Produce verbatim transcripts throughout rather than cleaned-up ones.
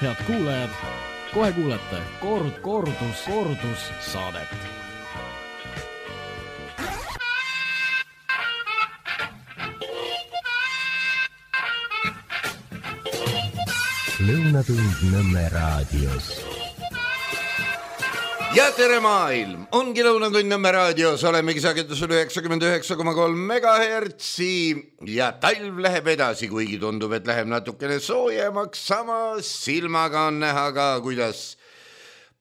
Head kuulajad, kohe kuulete kord, kordus, kordus saadet. Lõunatund Nõmme raadios. Ja tere maailm, ongi Lõunatund Nõmme raadios, olemegi sagedusel üheksakümmend üheksa koma kolm megahertsi ja talv läheb edasi, kuigi tundub, et läheb natukene soojemaks, samas silmaga on näha ka, kuidas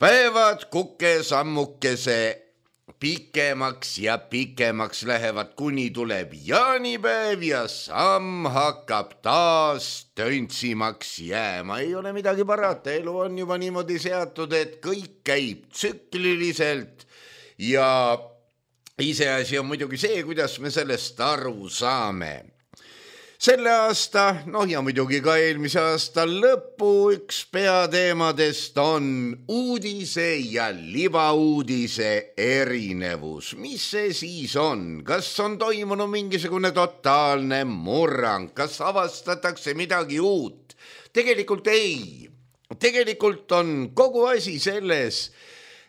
päevad kuke sammukese pikemaks ja pikemaks lähevad, kuni tuleb jaanipäev ja samm hakkab taas töntsimaks jääma. Ei ole midagi parata, elu on juba niimoodi seatud, et kõik käib tsükliliselt ja iseasi on muidugi see, kuidas me sellest aru saame. Selle aasta, noh ja muidugi ka eelmise aasta lõpu üks peateemadest on uudise ja libauudise erinevus. Mis see siis on? Kas on toimunud mingisugune totaalne murrang? Kas avastatakse midagi uut? Tegelikult ei. Tegelikult on kogu asi selles,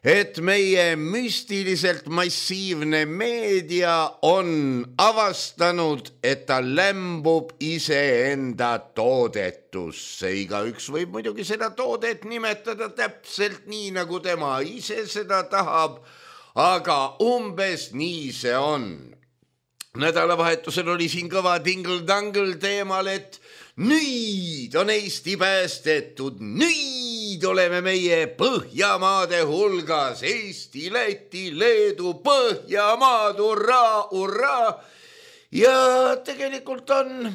et meie müstiliselt massiivne meedia on avastanud, et ta lämbub iseenda toodetusse. Igaüks võib muidugi seda toodet nimetada täpselt nii, nagu tema ise seda tahab, aga umbes nii see on. Nädalavahetusel oli siin kõva tingle-tangle teemal, et nüüd on Eesti päästetud, nüüd oleme meie Põhjamaade hulgas, Eesti, Läti, Leedu, Põhjamaad, urraa, urraa. Ja tegelikult on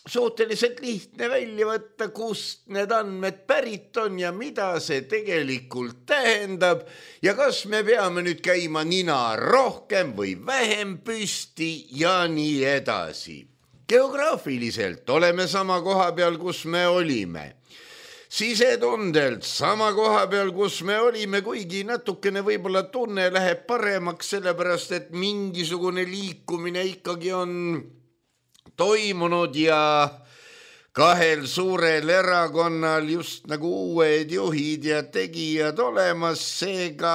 suhteliselt lihtne välja võtta, kust need andmed pärit on ja mida see tegelikult tähendab ja kas me peame nüüd käima nina rohkem või vähem püsti ja nii edasi. Geograafiliselt oleme sama koha peal, kus me olime. Sisetundelt sama koha peal, kus me olime, kuigi natukene võib-olla tunne läheb paremaks, sellepärast et mingisugune liikumine ikkagi on toimunud ja kahel suurel erakonnal just nagu uued juhid ja tegijad olemas, seega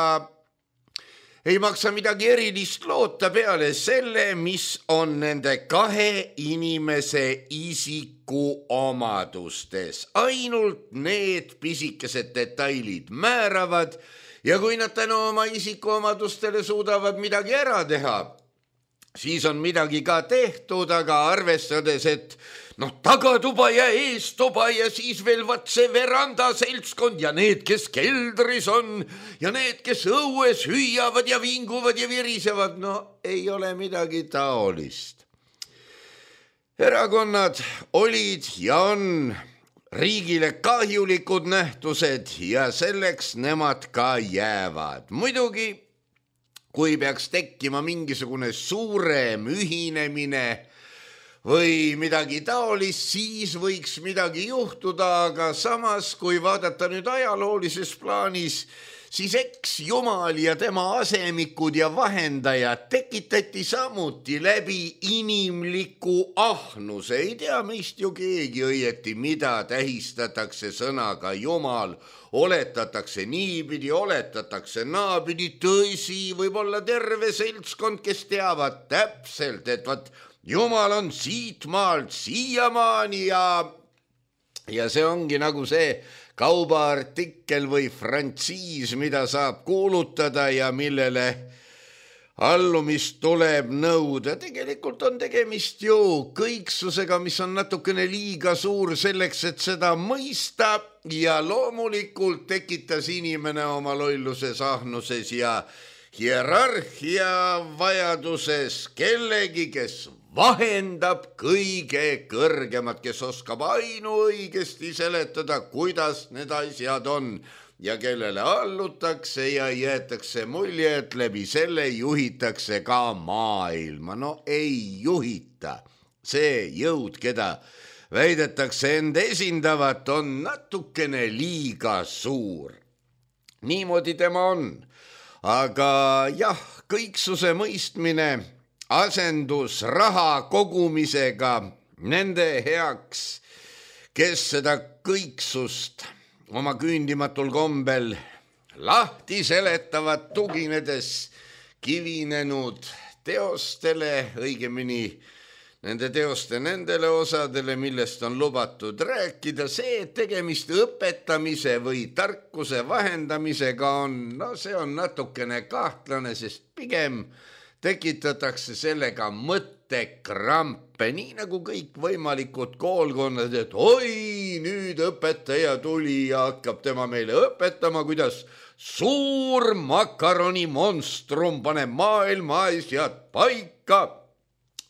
ei maksa midagi erilist loota peale selle, mis on nende kahe inimese isiku omadustes. Ainult need pisikesed detailid määravad ja kui nad tänu oma isiku omadustele suudavad midagi ära teha, siis on midagi ka tehtud, aga arvestades, et noh, tagatuba ja eestuba ja siis veel vaat see veranda seltskond ja need, kes keldris on ja need, kes õues hüüavad ja vinguvad ja virisevad, no ei ole midagi taolist. Erakonnad olid ja on riigile kahjulikud nähtused ja selleks nemad ka jäävad. Muidugi, kui peaks tekkima mingisugune suurem ühinemine või midagi taolist, siis võiks midagi juhtuda, aga samas, kui vaadata nüüd ajaloolises plaanis, siis eks Jumal ja tema asemikud ja vahendajad tekitati samuti läbi inimliku ahnuse. Ei tea meist ju keegi õieti, mida tähistatakse sõnaga Jumal. Oletatakse niipidi, oletatakse naapidi, tõsi, võib-olla terve seltskond, kes teavad täpselt, et vat Jumal on siit maalt siiamaani ja, ja see ongi nagu see kaubaartikkel või frantsiis, mida saab kuulutada ja millele allumist tuleb nõuda. Tegelikult on tegemist ju kõiksusega, mis on natukene liiga suur selleks, et seda mõista ja loomulikult tekitas inimene oma lolluses, ahnuses ja hierarhia vajaduses kellegi, kes vahendab kõige kõrgemat, kes oskab ainuõigesti seletada, kuidas need asjad on ja kellele allutakse ja jäetakse mulje, et läbi selle juhitakse ka maailma. No ei juhita. See jõud, keda väidetakse end esindavat, on natukene liiga suur. Niimoodi tema on. Aga jah, kõiksuse mõistmine asendus raha kogumisega nende heaks, kes seda kõiksust oma küündimatul kombel lahti seletavad tuginedes kivinenud teostele, õigemini nende teoste nendele osadele, millest on lubatud rääkida. See, et tegemist õpetamise või tarkuse vahendamisega on, no see on natukene kahtlane, sest pigem tekitatakse sellega mõttekrampe, nii nagu kõik võimalikud koolkonnad, et oi, nüüd õpetaja tuli ja hakkab tema meile õpetama, kuidas suur makaroni monstrum paneb maailma asjad paika.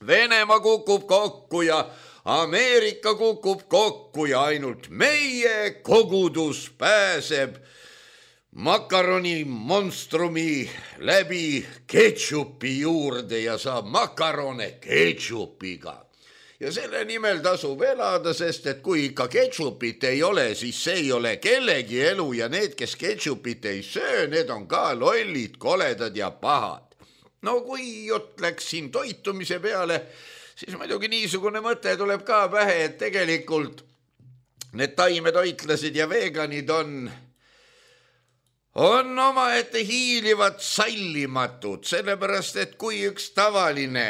Venemaa kukub kokku ja Ameerika kukub kokku ja ainult meie kogudus pääseb makaroni monstrumi läbi ketšupi juurde ja saab makarone ketšupiga. Ja selle nimel tasub elada, sest et kui ikka ketšupit ei ole, siis see ei ole kellegi elu ja need, kes ketšupit ei söö, need on ka lollid, koledad ja pahad. No kui jutt läks siin toitumise peale, siis muidugi niisugune mõte tuleb ka pähe, et tegelikult need taimetoitlased ja veganid on, on omaette hiilivad sallimatud, sellepärast et kui üks tavaline,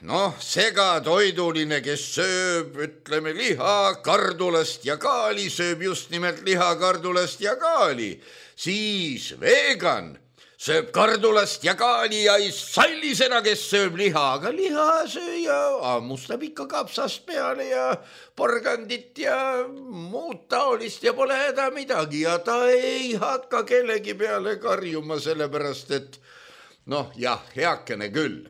noh, segatoiduline, kes sööb, ütleme, liha, kardulast ja kaali, sööb just nimelt liha, kardulast ja kaali, siis vegan sööb kardulast ja kaali ja ei salli seda, kes sööb liha, aga lihasööja ammustab ikka kapsast peale ja porgandit ja muud taolist ja pole häda midagi ja ta ei hakka kellegi peale karjuma, sellepärast et noh, jah, heakene küll.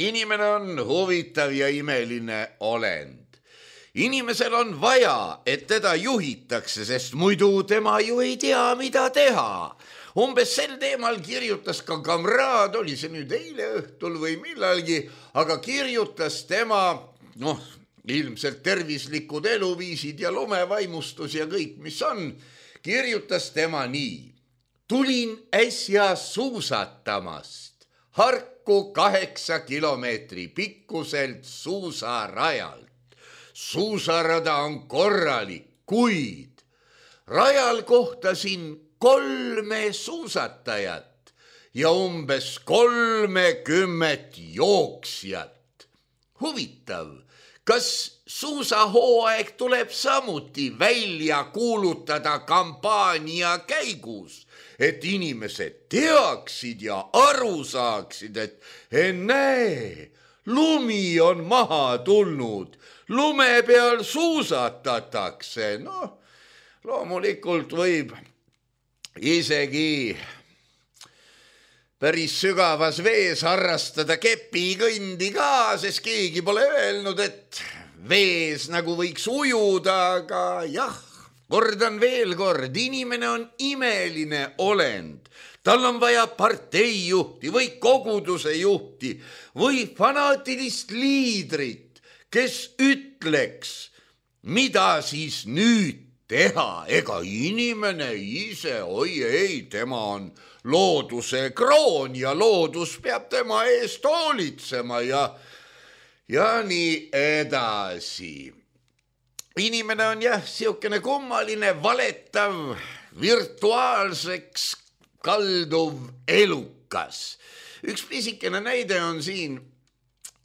Inimene on huvitav ja imeline olend. Inimesel on vaja, et teda juhitakse, sest muidu tema ju ei tea, mida teha. Umbes sel teemal kirjutas ka kamraad, oli see nüüd eile õhtul või millalgi, aga kirjutas tema, noh, ilmselt tervislikud eluviisid ja lumevaimustus ja kõik, mis on, kirjutas tema nii. Tulin äsja suusatamast Harku kaheksa kilomeetri pikkuselt suusarajalt. Suusarada on korralik, kuid rajal kohtasin kolme suusatajat ja umbes kolmekümmet jooksjat. Huvitav, kas suusahooaeg tuleb samuti välja kuulutada kampaania käigus, et inimesed teaksid ja aru saaksid, et ennäe, lumi on maha tulnud, lume peal suusatatakse. Noh, loomulikult võib isegi päris sügavas vees harrastada kepikõndi ka, sest keegi pole öelnud, et vees nagu võiks ujuda, aga jah, kordan veel kord, inimene on imeline olend. Tal on vaja parteijuhti või koguduse juhti või fanaatilist liidrit, kes ütleks, mida siis nüüd teha, ega inimene ise, oi ei, tema on looduse kroon ja loodus peab tema eest hoolitsema ja, ja nii edasi. Inimene on jah, siukene kummaline, valetav, virtuaalseks kalduv elukas. Üks pisikene näide on siin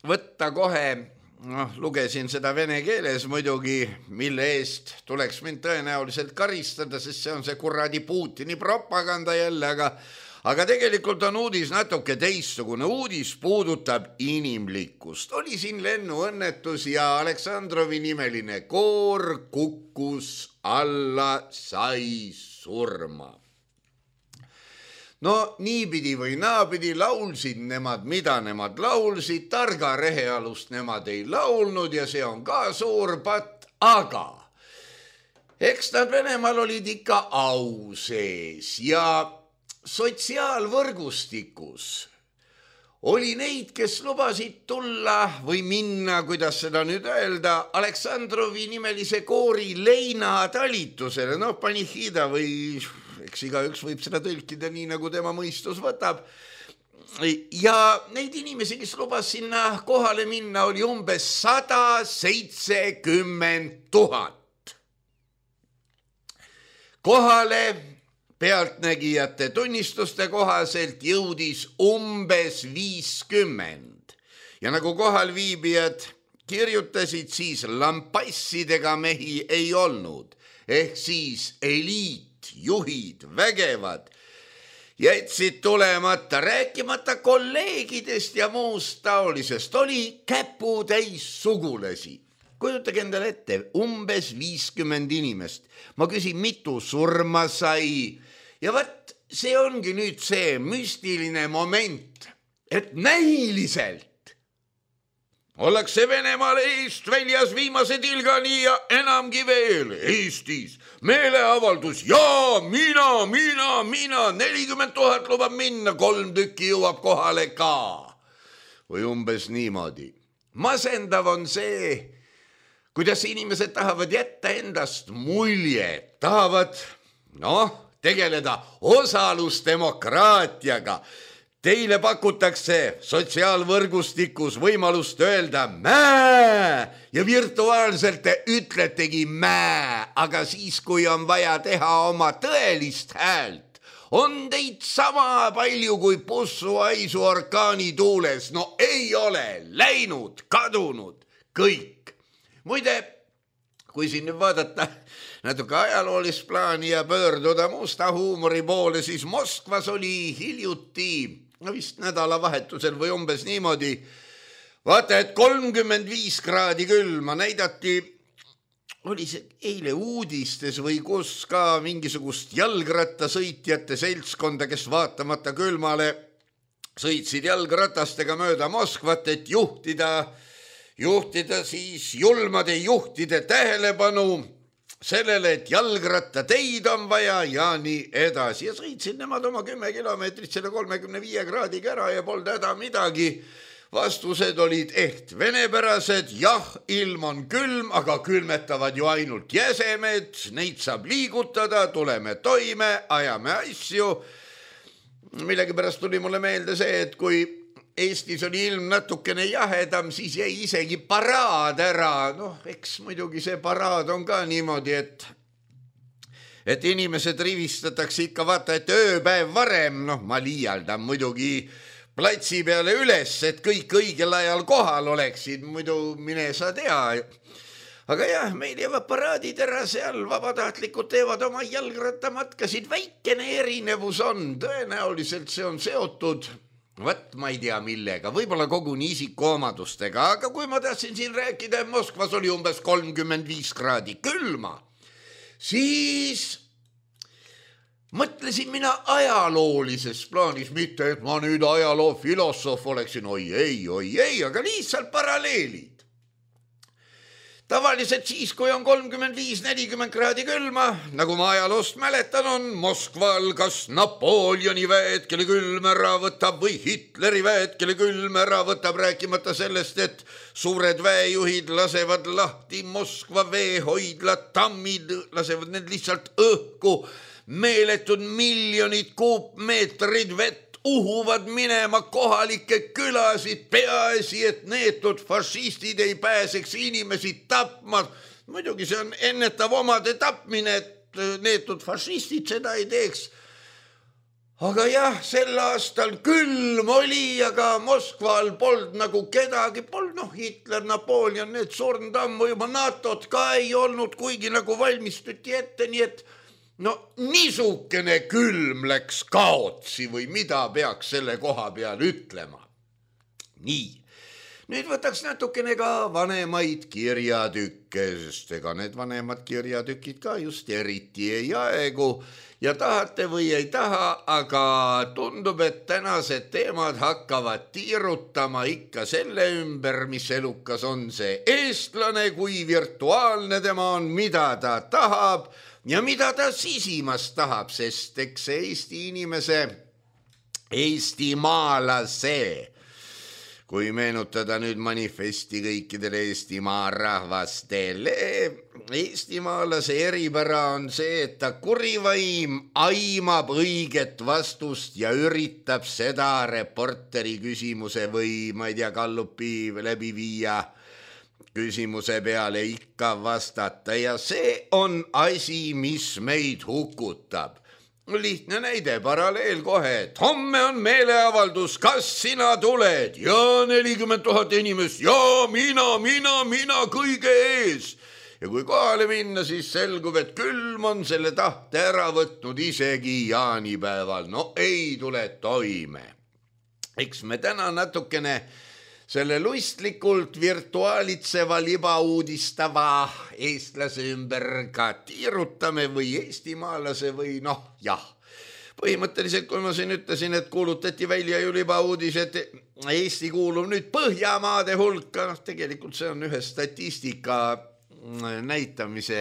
võtta kohe. Noh, lugesin seda vene keeles muidugi, mille eest tuleks mind tõenäoliselt karistada, sest see on see kuradi Putini propaganda jälle, aga, aga tegelikult on uudis natuke teistsugune. Uudis puudutab inimlikkust. Oli siin lennuõnnetus ja Aleksandrovi nimeline koor kukkus alla, sai surma. No niipidi või naapidi laulsid nemad, mida nemad laulsid, targa rehealust nemad ei laulnud ja see on ka suur patt, aga eks nad Venemaal olid ikka au sees ja sotsiaalvõrgustikus oli neid, kes lubasid tulla või minna, kuidas seda nüüd öelda, Aleksandrovi nimelise koori leinatalitusele, no panihida või eks igaüks võib seda tõlkida nii, nagu tema mõistus võtab. Ja neid inimesi, kes lubas sinna kohale minna, oli umbes sada seitsekümmend tuhat. Kohale pealtnägijate tunnistuste kohaselt jõudis umbes viiskümmend ja nagu kohal viibijad kirjutasid, siis lampassidega mehi ei olnud, ehk siis eliit, juhid, vägevad jätsid tulemata, rääkimata kolleegidest ja muust taolisest, oli käputäis sugulasi. Kujutage endale ette, umbes viiskümmend inimest. Ma küsin, mitu surma sai ja vat see ongi nüüd see müstiline moment, et näiliselt ollakse Venemaal eest väljas viimase tilgani ja enamgi veel Eestis. Meeleavaldus, jaa, mina, mina, mina, nelikümmend tuhat lubab minna, kolm tükki jõuab kohale ka. Või umbes niimoodi. Masendav on see, kuidas inimesed tahavad jätta endast mulje, tahavad noh, tegeleda osalusdemokraatiaga. Teile pakutakse sotsiaalvõrgustikus võimalust öelda mää ja virtuaalselt te ütletegi mää, aga siis, kui on vaja teha oma tõelist häält, on teid sama palju kui pussuaisu orkaani tuules. No ei ole läinud, kadunud, kõik. Muide, kui siin nüüd vaadata natuke ajaloolist plaani ja pöörduda musta huumori poole, siis Moskvas oli hiljuti no vist nädalavahetusel või umbes niimoodi. Vaata, et kolmkümmend viis kraadi külma näidati, oli see eile uudistes või kus ka mingisugust jalgrattasõitjate seltskonda, kes vaatamata külmale sõitsid jalgratastega mööda Moskvat, et juhtida, juhtida siis julmade juhtide tähelepanu sellele, et jalgrattateid on vaja ja nii edasi. Ja sõitsid nemad oma kümme kilomeetrit selle kolmekümne viie kraadiga ära ja polnud häda midagi. Vastused olid ehk venepärased, jah, ilm on külm, aga külmetavad ju ainult jäsemed, neid saab liigutada, tuleme toime, ajame asju. Millegipärast tuli mulle meelde see, et kui Eestis oli ilm natukene jahedam, siis jäi isegi paraad ära. Noh, eks muidugi see paraad on ka niimoodi, et, et inimesed rivistatakse ikka vaata, et ööpäev varem, noh, ma liialdan muidugi platsi peale üles, et kõik õigel ajal kohal oleksid, muidu mine sa tea. Aga jah, meil jäävad paraadid ära seal, vabatahtlikud teevad oma jalgrattamatkasid, väikene erinevus on, tõenäoliselt see on seotud Vat ma ei tea millega, võib-olla koguni isikuomadustega, aga kui ma tahtsin siin rääkida, et Moskvas oli umbes kolmkümmend viis kraadi külma, siis mõtlesin mina ajaloolises plaanis, mitte et ma nüüd ajaloo filosoof oleksin, oi ei, oi ei, aga lihtsalt paralleelid. Tavaliselt siis, kui on kolmkümmend viis nelikümmend kraadi külma, nagu ma ajaloost mäletan, on Moskval kas Napoleoni väed, kelle külm ära võtab, või Hitleri väed, kelle külm ära võtab, rääkimata sellest, et suured väejuhid lasevad lahti Moskva veehoidlad, tammid, lasevad need lihtsalt õhku, meeletud miljonid kuupmeetrid vett, uhuvad minema kohalikke külasid, peaasi, et neetud fašistid ei pääseks inimesi tapma. Muidugi see on ennetav omade tapmine, et neetud fašistid seda ei teeks. Aga jah, sel aastal külm oli, aga Moskval polnud nagu kedagi, polnud noh, Hitler, Napoleon, need surnud ammu juba, NATO-t ka ei olnud, kuigi nagu valmistuti ette, nii et no niisugune külm läks kaotsi või mida peaks selle koha peal ütlema. Nii, nüüd võtaks natukene ka vanemaid kirjatükke, sest ega need vanemad kirjatükid ka just eriti ei aegu ja tahate või ei taha, aga tundub, et tänased teemad hakkavad tiirutama ikka selle ümber, mis elukas on see eestlane, kui virtuaalne tema on, mida ta tahab ja mida ta sisimas tahab, sest eks Eesti inimese, eestimaalase, kui meenutada nüüd manifesti kõikidele Eestimaa rahvastele, eestimaalase eripära on see, et ta kurivaim aimab õiget vastust ja üritab seda reporteri küsimuse või ma ei tea, Gallupi läbi viia küsimuse peale ikka vastata ja see on asi, mis meid hukutab. Lihtne näide, paralleel kohe, et homme on meeleavaldus, kas sina tuled ja nelikümmend tuhat inimest ja mina, mina, mina kõige ees. Ja kui kohale minna, siis selgub, et külm on selle tahte ära võtnud isegi jaanipäeval. No ei tule toime. Eks me täna natukene selle lustlikult virtuaalitseva libauudistava eestlase ümber ka tiirutame või eestimaalase või noh, jah. Põhimõtteliselt, kui ma siin ütlesin, et kuulutati välja ju libauudis, et Eesti kuulub nüüd Põhjamaade hulka, noh, tegelikult see on ühe statistika näitamise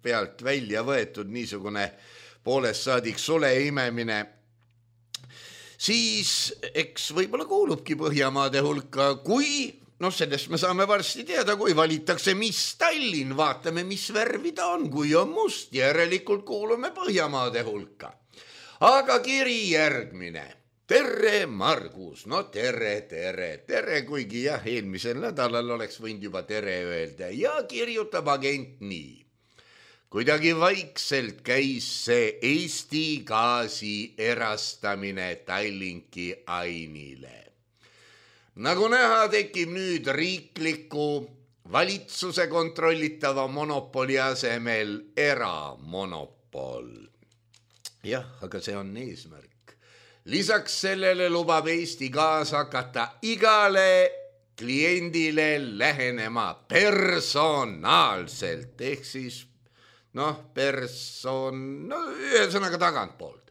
pealt välja võetud niisugune poolest saadik sule imemine. Siis eks võib-olla kuulubki Põhjamaade hulka, kui, noh sellest me saame varsti teada, kui valitakse, mis Tallinn, vaatame, mis värvi ta on, kui on must, järelikult kuulume Põhjamaade hulka. Aga kiri järgmine. Tere, Margus, no tere, tere, tere, kuigi jah, eelmisel nädalal oleks võinud juba tere öelda ja kirjutab agent nii. Kuidagi vaikselt käis see Eesti gaasi erastamine Tallinki Ainile. Nagu näha, tekib nüüd riikliku valitsuse kontrollitava monopoli asemel eramonopol. Jah, aga see on eesmärk. Lisaks sellele lubab Eesti gaas hakata igale kliendile lähenema personaalselt, ehk siis noh, person, no ühesõnaga tagantpoolt.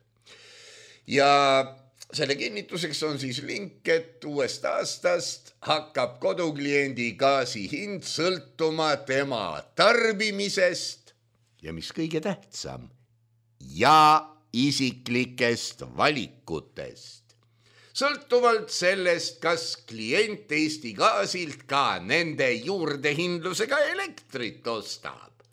Ja selle kinnituseks on siis link, et uuest aastast hakkab kodukliendi gaasi hind sõltuma tema tarbimisest ja mis kõige tähtsam, ja isiklikest valikutest. Sõltuvalt sellest, kas klient Eesti gaasilt ka nende juurdehindlusega elektrit ostab.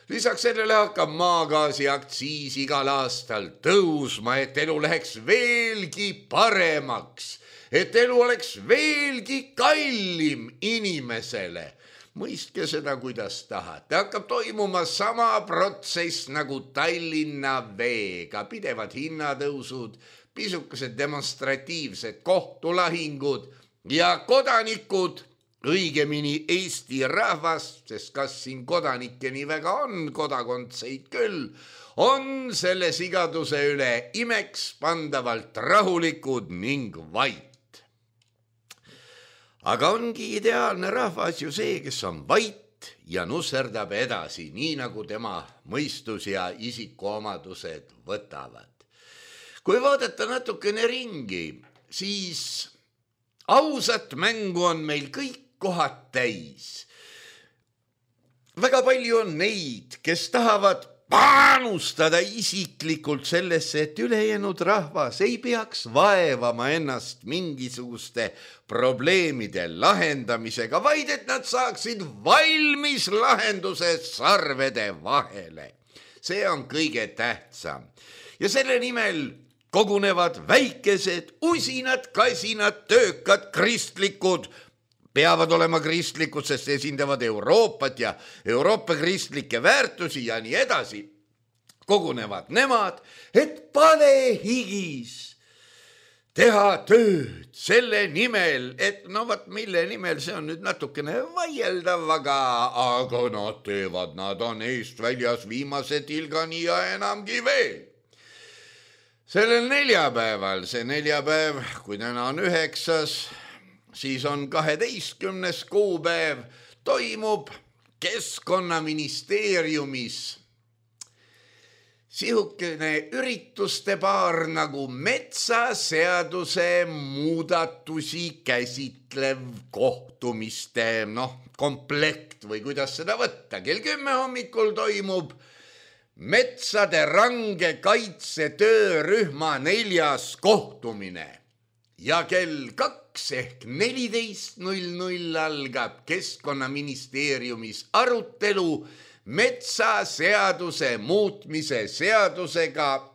Lisaks sellele hakkab maagaasi aktsiis igal aastal tõusma, et elu läheks veelgi paremaks, et elu oleks veelgi kallim inimesele. Mõistke seda, kuidas tahate. Hakkab toimuma sama protsess nagu Tallinna veega, pidevad hinnatõusud, pisukesed demonstratiivsed kohtulahingud ja kodanikud, õigemini Eesti rahvas, sest kas siin kodanikke nii väga on, kodakondseid küll, on selle sigaduse üle imeks pandavalt rahulikud ning vait. Aga ongi ideaalne rahvas ju see, kes on vait ja nusserdab edasi, nii nagu tema mõistus ja isikuomadused võtavad. Kui vaadata natukene ringi, siis ausat mängu on meil kõik kohad täis. Väga palju on neid, kes tahavad panustada isiklikult sellesse, et ülejäänud rahvas ei peaks vaevama ennast mingisuguste probleemide lahendamisega, vaid et nad saaksid valmis lahenduse sarvede vahele. See on kõige tähtsam. Ja selle nimel kogunevad väikesed, usinad, kasinad, töökad, kristlikud, peavad olema kristlikud, sest esindavad Euroopat ja Euroopa kristlikke väärtusi ja nii edasi. Kogunevad nemad, et palehigis teha tööd selle nimel, et no vat mille nimel, see on nüüd natukene vaieldav, aga, aga nad teevad, nad on eest väljas viimase tilgani ja enamgi veel. Sellel neljapäeval, see neljapäev, kui täna on üheksas, siis on kaheteistkümnes kuupäev, toimub Keskkonnaministeeriumis sihukene ürituste paar nagu metsaseaduse muudatusi käsitlev kohtumiste noh, komplekt või kuidas seda võtta. Kell kümme hommikul toimub metsade range kaitse töörühma neljas kohtumine ja kell kaks ehk neliteist null null algab Keskkonnaministeeriumis arutelu metsaseaduse muutmise seadusega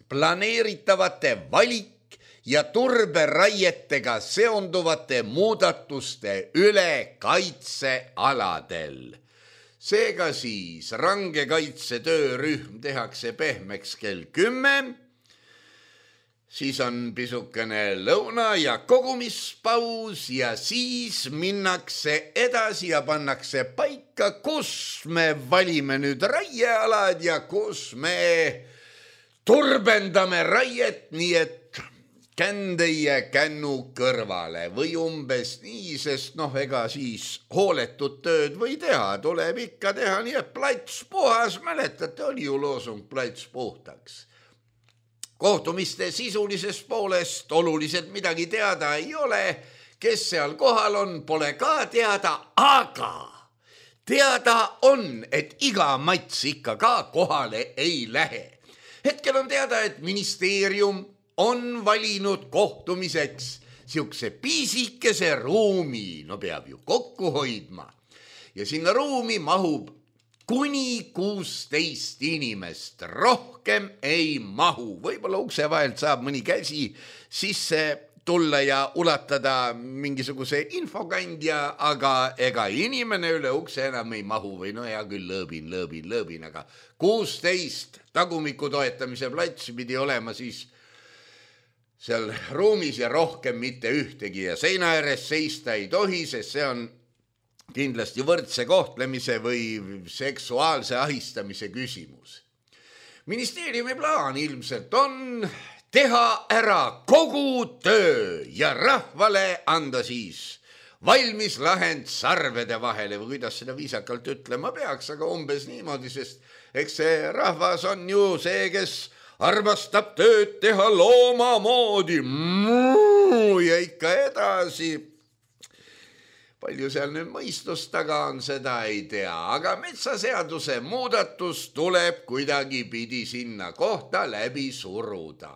planeeritavate valik- ja turberaietega seonduvate muudatuste üle kaitsealadel. Seega siis range kaitse töörühm tehakse pehmeks kell kümme, siis on pisukene lõuna ja kogumispaus ja siis minnakse edasi ja pannakse paika, kus me valime nüüd raiealad ja kus me turbendame raiet, nii et kändeie kännu kõrvale või umbes nii, sest noh, ega siis hooletut tööd või teha, tuleb ikka teha nii, et plats puhas, mäletate, oli ju loosung plats puhtaks. Kohtumiste sisulisest poolest oluliselt midagi teada ei ole, kes seal kohal on, pole ka teada, aga teada on, et iga mats ikka ka kohale ei lähe. Hetkel on teada, et ministeerium on valinud kohtumiseks siukse piisikese ruumi, no peab ju kokku hoidma. Ja sinna ruumi mahub kuni kuusteist inimest, rohkem ei mahu. Võib-olla ukse vahelt saab mõni käsi sisse tulla ja ulatada mingisuguse infokandja, aga ega inimene üle ukse enam ei mahu või no hea küll lõõbin, lõõbin, lõõbin, aga kuusteist tagumiku toetamise plats pidi olema siis seal ruumis ja rohkem mitte ühtegi ja seina ääres seista ei tohi, sest see on kindlasti võrdse kohtlemise või seksuaalse ahistamise küsimus. Ministeeriumi plaan ilmselt on teha ära kogu töö ja rahvale anda siis valmis lahend sarvede vahele või kuidas seda viisakalt ütlema peaks, aga umbes niimoodi, sest eks see rahvas on ju see, kes armastab tööd teha looma moodi ja ikka edasi. Palju seal nüüd mõistust taga on, seda ei tea, aga metsaseaduse muudatus tuleb kuidagi pidi sinna kohta läbi suruda.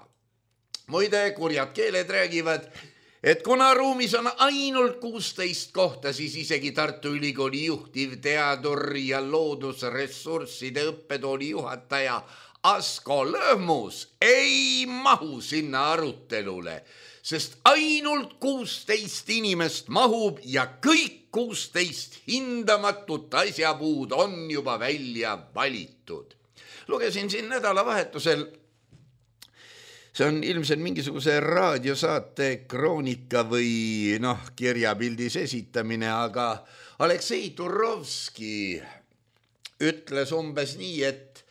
Muide, kurjad keeled räägivad, et kuna ruumis on ainult kuusteist kohta, siis isegi Tartu Ülikooli juhtiv teadur ja loodusressursside õppetooli juhataja Asko Lõhmus ei mahu sinna arutelule, sest ainult kuusteist inimest mahub ja kõik kuusteist hindamatut asjapuud on juba välja valitud. Lugesin siin nädalavahetusel, see on ilmselt mingisuguse raadiosaate kroonika või noh, kirjapildis esitamine, aga Aleksei Turovski ütles umbes nii, et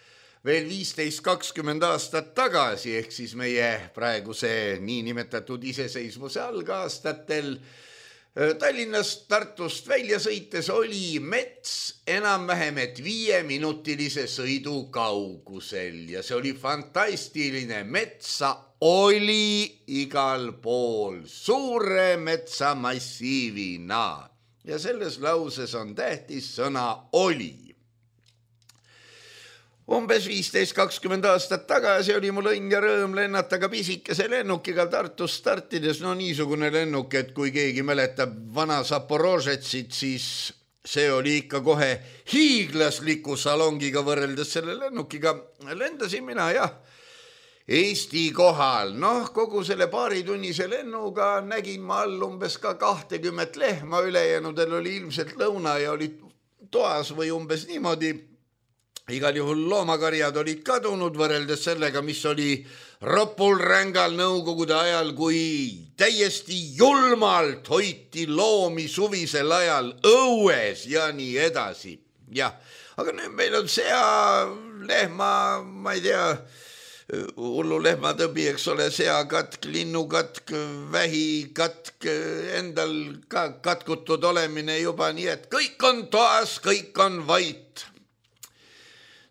veel viisteist kakskümmend aastat tagasi, ehk siis meie praeguse niinimetatud iseseisvuse algaastatel Tallinnast Tartust välja sõites oli mets enam-vähem et viieminutilise sõidu kaugusel ja see oli fantastiline. Metsa oli igal pool suure metsamassiivina ja selles lauses on tähtis sõna oli. Umbes viisteist kakskümmend aastat tagasi oli mul õnn ja rõõm lennata ka pisikese lennukiga Tartus startides. No niisugune lennuk, et kui keegi mäletab vana Zaporožetsit, siis see oli ikka kohe hiiglasliku salongiga võrreldes selle lennukiga. Lendasin mina jah Eesti kohal. Noh, kogu selle paaritunnise lennuga nägin ma all umbes ka kahtekümmet lehma, ülejäänudel oli ilmselt lõuna ja oli toas või umbes niimoodi. Igal juhul loomakarjad olid kadunud võrreldes sellega, mis oli ropul rängal nõukogude ajal, kui täiesti julmalt hoiti loomi suvisel ajal õues ja nii edasi. Jah, aga nüüd meil on sea, lehma, ma ei tea, hullu lehmatõbi, eks ole, seakatk, linnukatk, vähikatk, endal ka katkutud olemine juba nii, et kõik on toas, kõik on vait.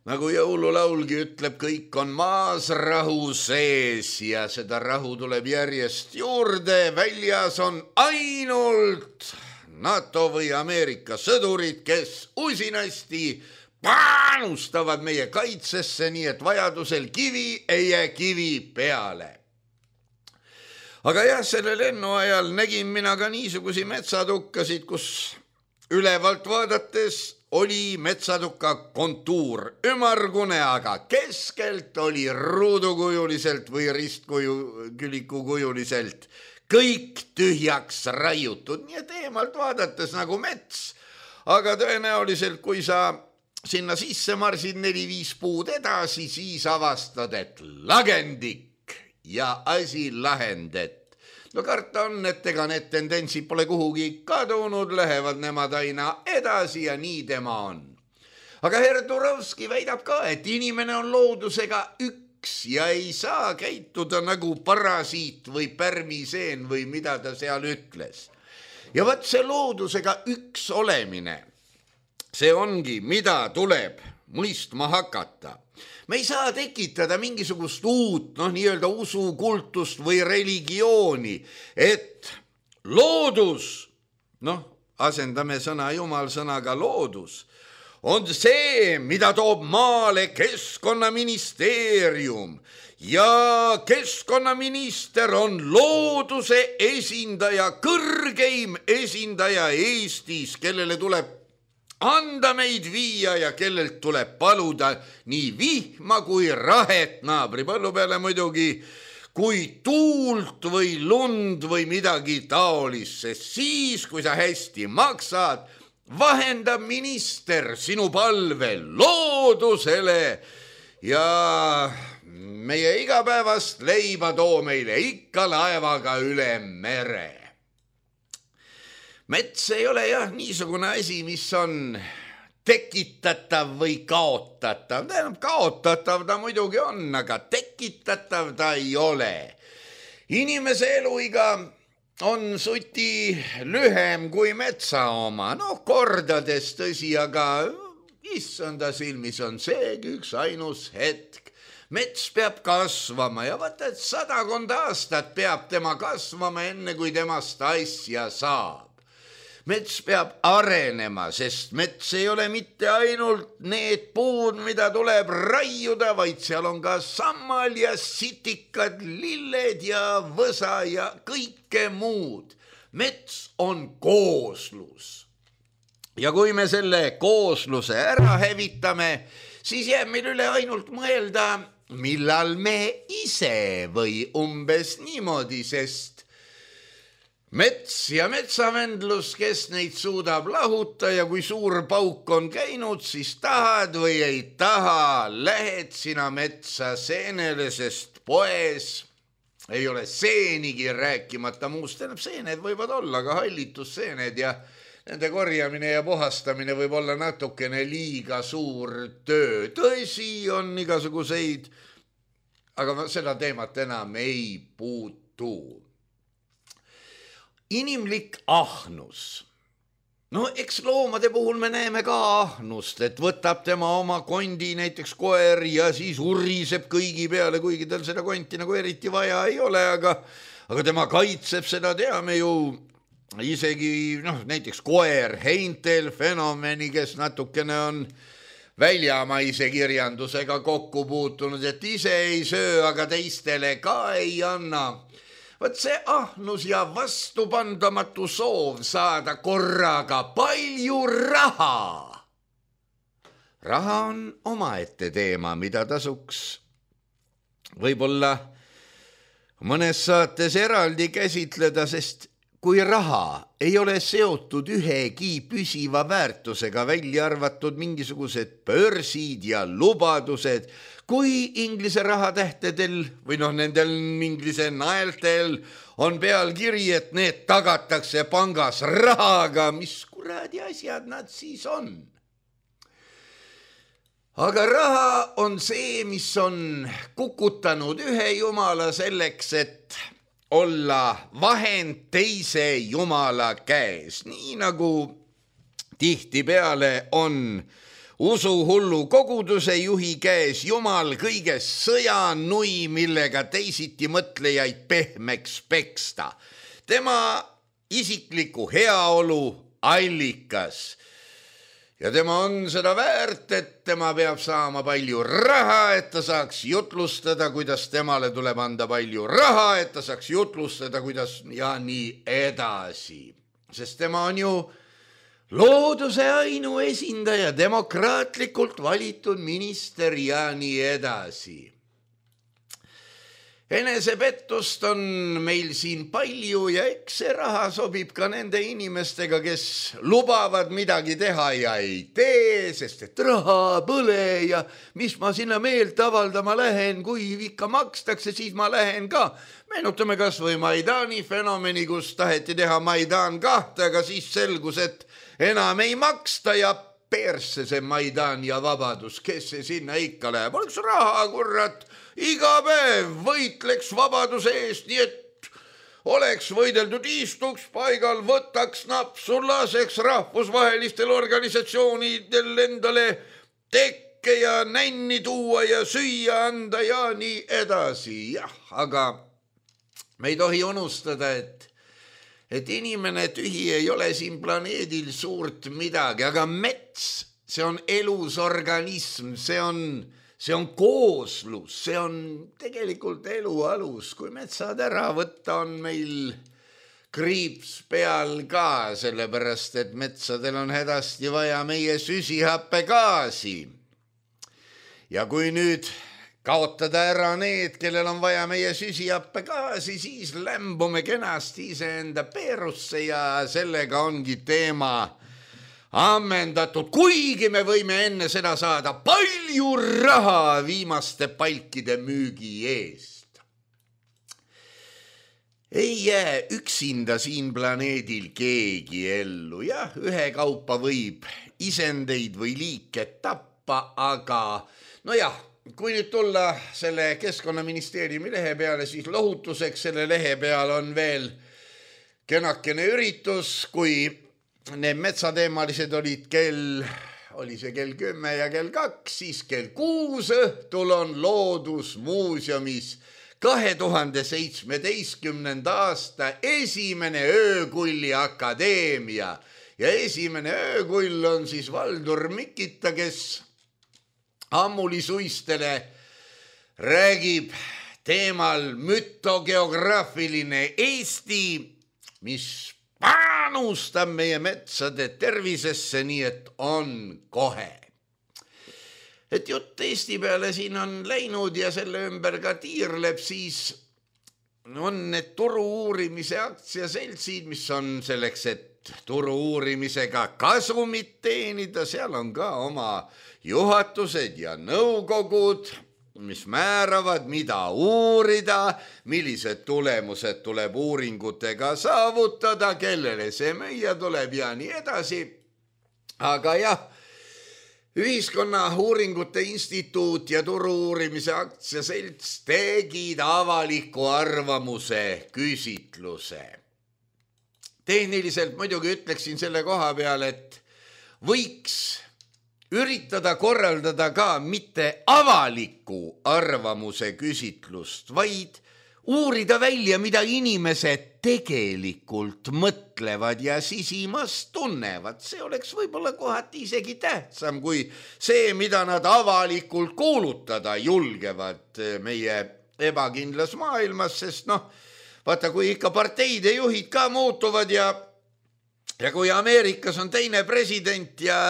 Nagu jõululaulgi ütleb, kõik on maas rahu sees ja seda rahu tuleb järjest juurde. Väljas on ainult NATO või Ameerika sõdurid, kes usinasti panustavad meie kaitsesse, nii et vajadusel kivi ei jää kivi peale. Aga jah, selle lennu ajal nägin mina ka niisugusi metsatukkasid, kus ülevalt vaadates oli metsatuka kontuur ümmargune, aga keskelt oli ruudukujuliselt või ristkülikukujuliselt kõik tühjaks raiutud, nii et eemalt vaadates nagu mets, aga tõenäoliselt kui sa sinna sisse marsid neli-viis puud edasi, siis avastad, et lagendik ja asi lahendet. No karta on, et ega need tendentsid pole kuhugi kadunud, lähevad nemad aina edasi ja nii tema on. Aga herr Turovski väidab ka, et inimene on loodusega üks ja ei saa käituda nagu parasiit või pärmiseen või mida ta seal ütles. Ja võt see loodusega üks olemine, see ongi, mida tuleb mõistma hakata. Me ei saa tekitada mingisugust uut, noh, nii-öelda usukultust või religiooni, et loodus, noh, asendame sõna Jumal sõnaga loodus, on see, mida toob maale Keskkonnaministeerium ja keskkonnaminister on looduse esindaja, kõrgeim esindaja Eestis, kellele tuleb anda meid viia ja kellelt tuleb paluda nii vihma kui rahet naabri põllu peale muidugi, kui tuult või lund või midagi taolist, sest siis, kui sa hästi maksad, vahendab minister sinu palve loodusele ja meie igapäevast leiba too meile ikka laevaga üle mere. Mets ei ole jah niisugune asi, mis on tekitatav või kaotatav. Tähendab, kaotatav ta muidugi on, aga tekitatav ta ei ole. Inimese eluiga on suti lühem kui metsa oma. No kordades tõsi, aga issanda silmis on seegi üks ainus hetk. Mets peab kasvama ja vaata, et sadakond aastat peab tema kasvama enne kui temast asja saab. Mets peab arenema, sest mets ei ole mitte ainult need puud, mida tuleb raiuda, vaid seal on ka sammal ja sitikad, lilled ja võsa ja kõike muud. Mets on kooslus. Ja kui me selle koosluse ära hävitame, siis jääb meil üle ainult mõelda, millal me ise või umbes niimoodi, sest mets ja metsavendlus, kes neid suudab lahuta ja kui suur pauk on käinud, siis tahad või ei taha, lähed sina metsa seenele, sest poes ei ole seenigi rääkimata muust. Tähendab, seened võivad olla, aga hallitusseened ja nende korjamine ja puhastamine võib olla natukene liiga suur töö. Tõsi on igasuguseid, aga seda teemat enam ei puutu. Inimlik ahnus. No eks loomade puhul me näeme ka ahnust, et võtab tema oma kondi, näiteks koer, ja siis uriseb kõigi peale, kuigi tal seda konti nagu eriti vaja ei ole, aga, aga tema kaitseb seda, teame ju isegi, noh, näiteks koer Heintel fenomeni, kes natukene on väljamaise kirjandusega kokku puutunud, et ise ei söö, aga teistele ka ei anna. Võt see ahnus ja vastupandamatu soov saada korraga palju raha. Raha on omaette teema, mida tasuks võib-olla mõnes saates eraldi käsitleda, sest kui raha ei ole seotud ühegi püsiva väärtusega, välja arvatud mingisugused börsid ja lubadused, kui inglise rahatähtedel või noh, nendel inglise naeltel on peal kiri, et need tagatakse pangas rahaga, mis kuradi asjad nad siis on? Aga raha on see, mis on kukutanud ühe jumala selleks, et olla vahend teise jumala käes, nii nagu tihtipeale on usuhullu koguduse juhi käes jumal kõiges sõjanui, millega teisiti mõtlejaid pehmeks peksta. Tema isikliku heaolu allikas. Ja tema on seda väärt, et tema peab saama palju raha, et ta saaks jutlustada, kuidas temale tuleb anda palju raha, et ta saaks jutlustada, kuidas ja nii edasi. Sest tema on ju looduse ainuesindaja, demokraatlikult valitud minister ja nii edasi. Enesepettust on meil siin palju ja eks see raha sobib ka nende inimestega, kes lubavad midagi teha ja ei tee, sest et raha põle ja mis ma sinna meelt avaldama lähen, kui ikka makstakse, siis ma lähen ka. Meenutame kas või Maidani fenomeni, kus taheti teha Maidan kahte, aga siis selgus, et enam ei maksta ja persse see Maidan ja vabadus, kes see sinna ikka läheb. Oleks raha, kurrat, iga päev võitleks vabaduse eest, nii et oleks võideldud, istuks paigal, võtaks napsu, laseks rahvusvahelistel organisatsioonidel endale tekke ja nänni tuua ja süüa anda ja nii edasi. Jah, aga me ei tohi unustada, et et inimene tühi ei ole siin planeedil suurt midagi, aga mets, see on elus organism, see on, see on kooslus, see on tegelikult elu alus. Kui metsad ära võtta, on meil kriips peal ka, sellepärast et metsadel on hädasti vaja meie süsihappegaasi. Ja kui nüüd kaotada ära need, kellel on vaja meie süsihappegaasi, siis lämbume kenasti iseenda peerusse ja sellega ongi teema ammendatud, kuigi me võime enne seda saada palju raha viimaste palkide müügi eest. Ei jää üksinda siin planeedil keegi ellu. Jah, ühe kaupa võib isendeid või liike tappa, aga no jah, kui nüüd tulla selle Keskkonnaministeeriumi lehe peale, siis lohutuseks selle lehe peal on veel kenakene üritus, kui need metsateemalised olid kell, oli see kell kümme ja kell kaks, siis kell kuus õhtul on Loodusmuuseumis kahe tuhande seitsmeteistkümnenda aasta esimene öökulli akadeemia ja esimene öökull on siis Valdur Mikita, kes ammulisuistele räägib teemal mütogeograafiline Eesti, mis panustab meie metsade tervisesse, nii et on kohe. Et jutt Eesti peale siin on läinud ja selle ümber ka tiirleb, siis on need turu uurimise aktsiaseltsid, mis on selleks, et turu uurimisega kasumit teenida, seal on ka oma juhatused ja nõukogud, mis määravad, mida uurida, millised tulemused tuleb uuringutega saavutada, kellele see müüa tuleb ja nii edasi. Aga jah, Ühiskonna uuringute instituut ja turu uurimise aktsiaselts tegid avaliku arvamuse küsitluse. Tehniliselt muidugi ütleksin selle koha peal, et võiks üritada korraldada ka mitte avaliku arvamuse küsitlust, vaid uurida välja, mida inimesed tegelikult mõtlevad ja sisimas tunnevad. See oleks võib-olla kohati isegi tähtsam kui see, mida nad avalikult kuulutada julgevad meie ebakindlas maailmas, sest noh, vaata, kui ikka parteide juhid ka muutuvad ja, ja kui Ameerikas on teine president ja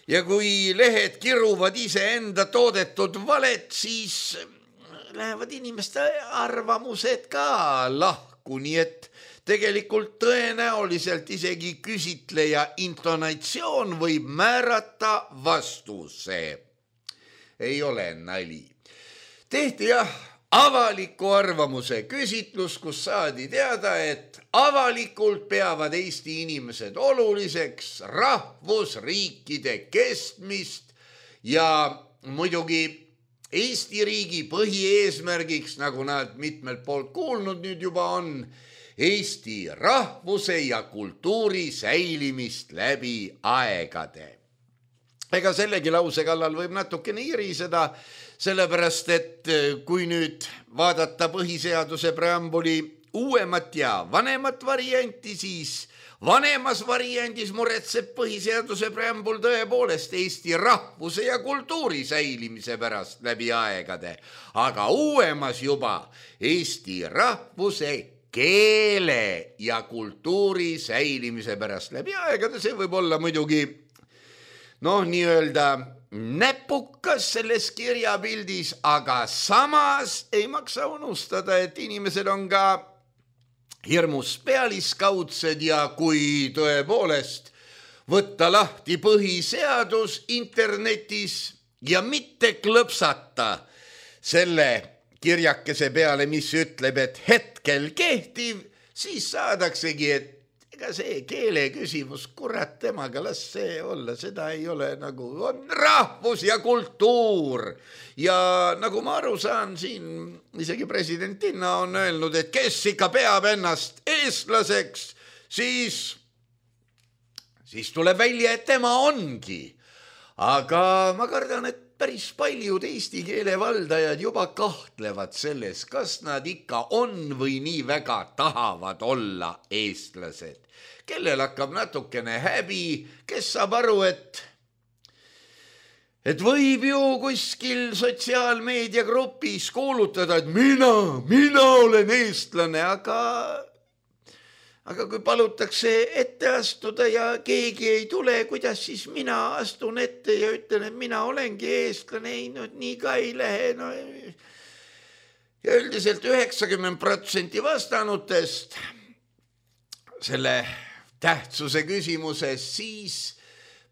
Ja kui lehed kiruvad iseenda toodetud valet, siis lähevad inimeste arvamused ka lahku, nii et tegelikult tõenäoliselt isegi küsitleja intonatsioon võib määrata vastuse. Ei ole nali. Tehti jah avaliku arvamuse küsitlus, kus saadi teada, et avalikult peavad Eesti inimesed oluliseks rahvusriikide kestmist ja muidugi Eesti riigi põhieesmärgiks, nagu nad mitmelt poolt kuulnud nüüd juba on, Eesti rahvuse ja kultuuri säilimist läbi aegade. Ega sellegi lause kallal võib natukene iriseda, sellepärast, et kui nüüd vaadata põhiseaduse preambuli uuemat ja vanemat varianti, siis vanemas variandis muretseb põhiseaduse preambul tõepoolest Eesti rahvuse ja kultuuri säilimise pärast läbi aegade, aga uuemas juba Eesti rahvuse keele ja kultuuri säilimise pärast läbi aegade. See võib olla muidugi noh, nii-öelda näpukas selles kirjapildis, aga samas ei maksa unustada, et inimesed on ka hirmus pealiskaudsed ja kui tõepoolest võtta lahti põhiseadus internetis ja mitte klõpsata selle kirjakese peale, mis ütleb, et hetkel kehtiv, siis saadaksegi, et ega see keele küsimus, kurat temaga, las see olla, seda ei ole nagu, on rahvus ja kultuur. Ja nagu ma aru saan, siin isegi president Tinna on öelnud, et kes ikka peab ennast eestlaseks, siis, siis tuleb välja, et tema ongi. Aga ma kardan, et päris paljud eesti keele valdajad juba kahtlevad selles, kas nad ikka on või nii väga tahavad olla eestlased. Kellel hakkab natukene häbi, kes saab aru, et, et võib ju kuskil sotsiaalmeediagrupis kuulutada, et mina, mina olen eestlane, aga... Aga kui palutakse ette astuda ja keegi ei tule, kuidas siis mina astun ette ja ütlen, et mina olengi eestlane, ei, no nii ka ei lähe. No. Ja üldiselt üheksakümmend protsenti vastanutest selle tähtsuse küsimuses siis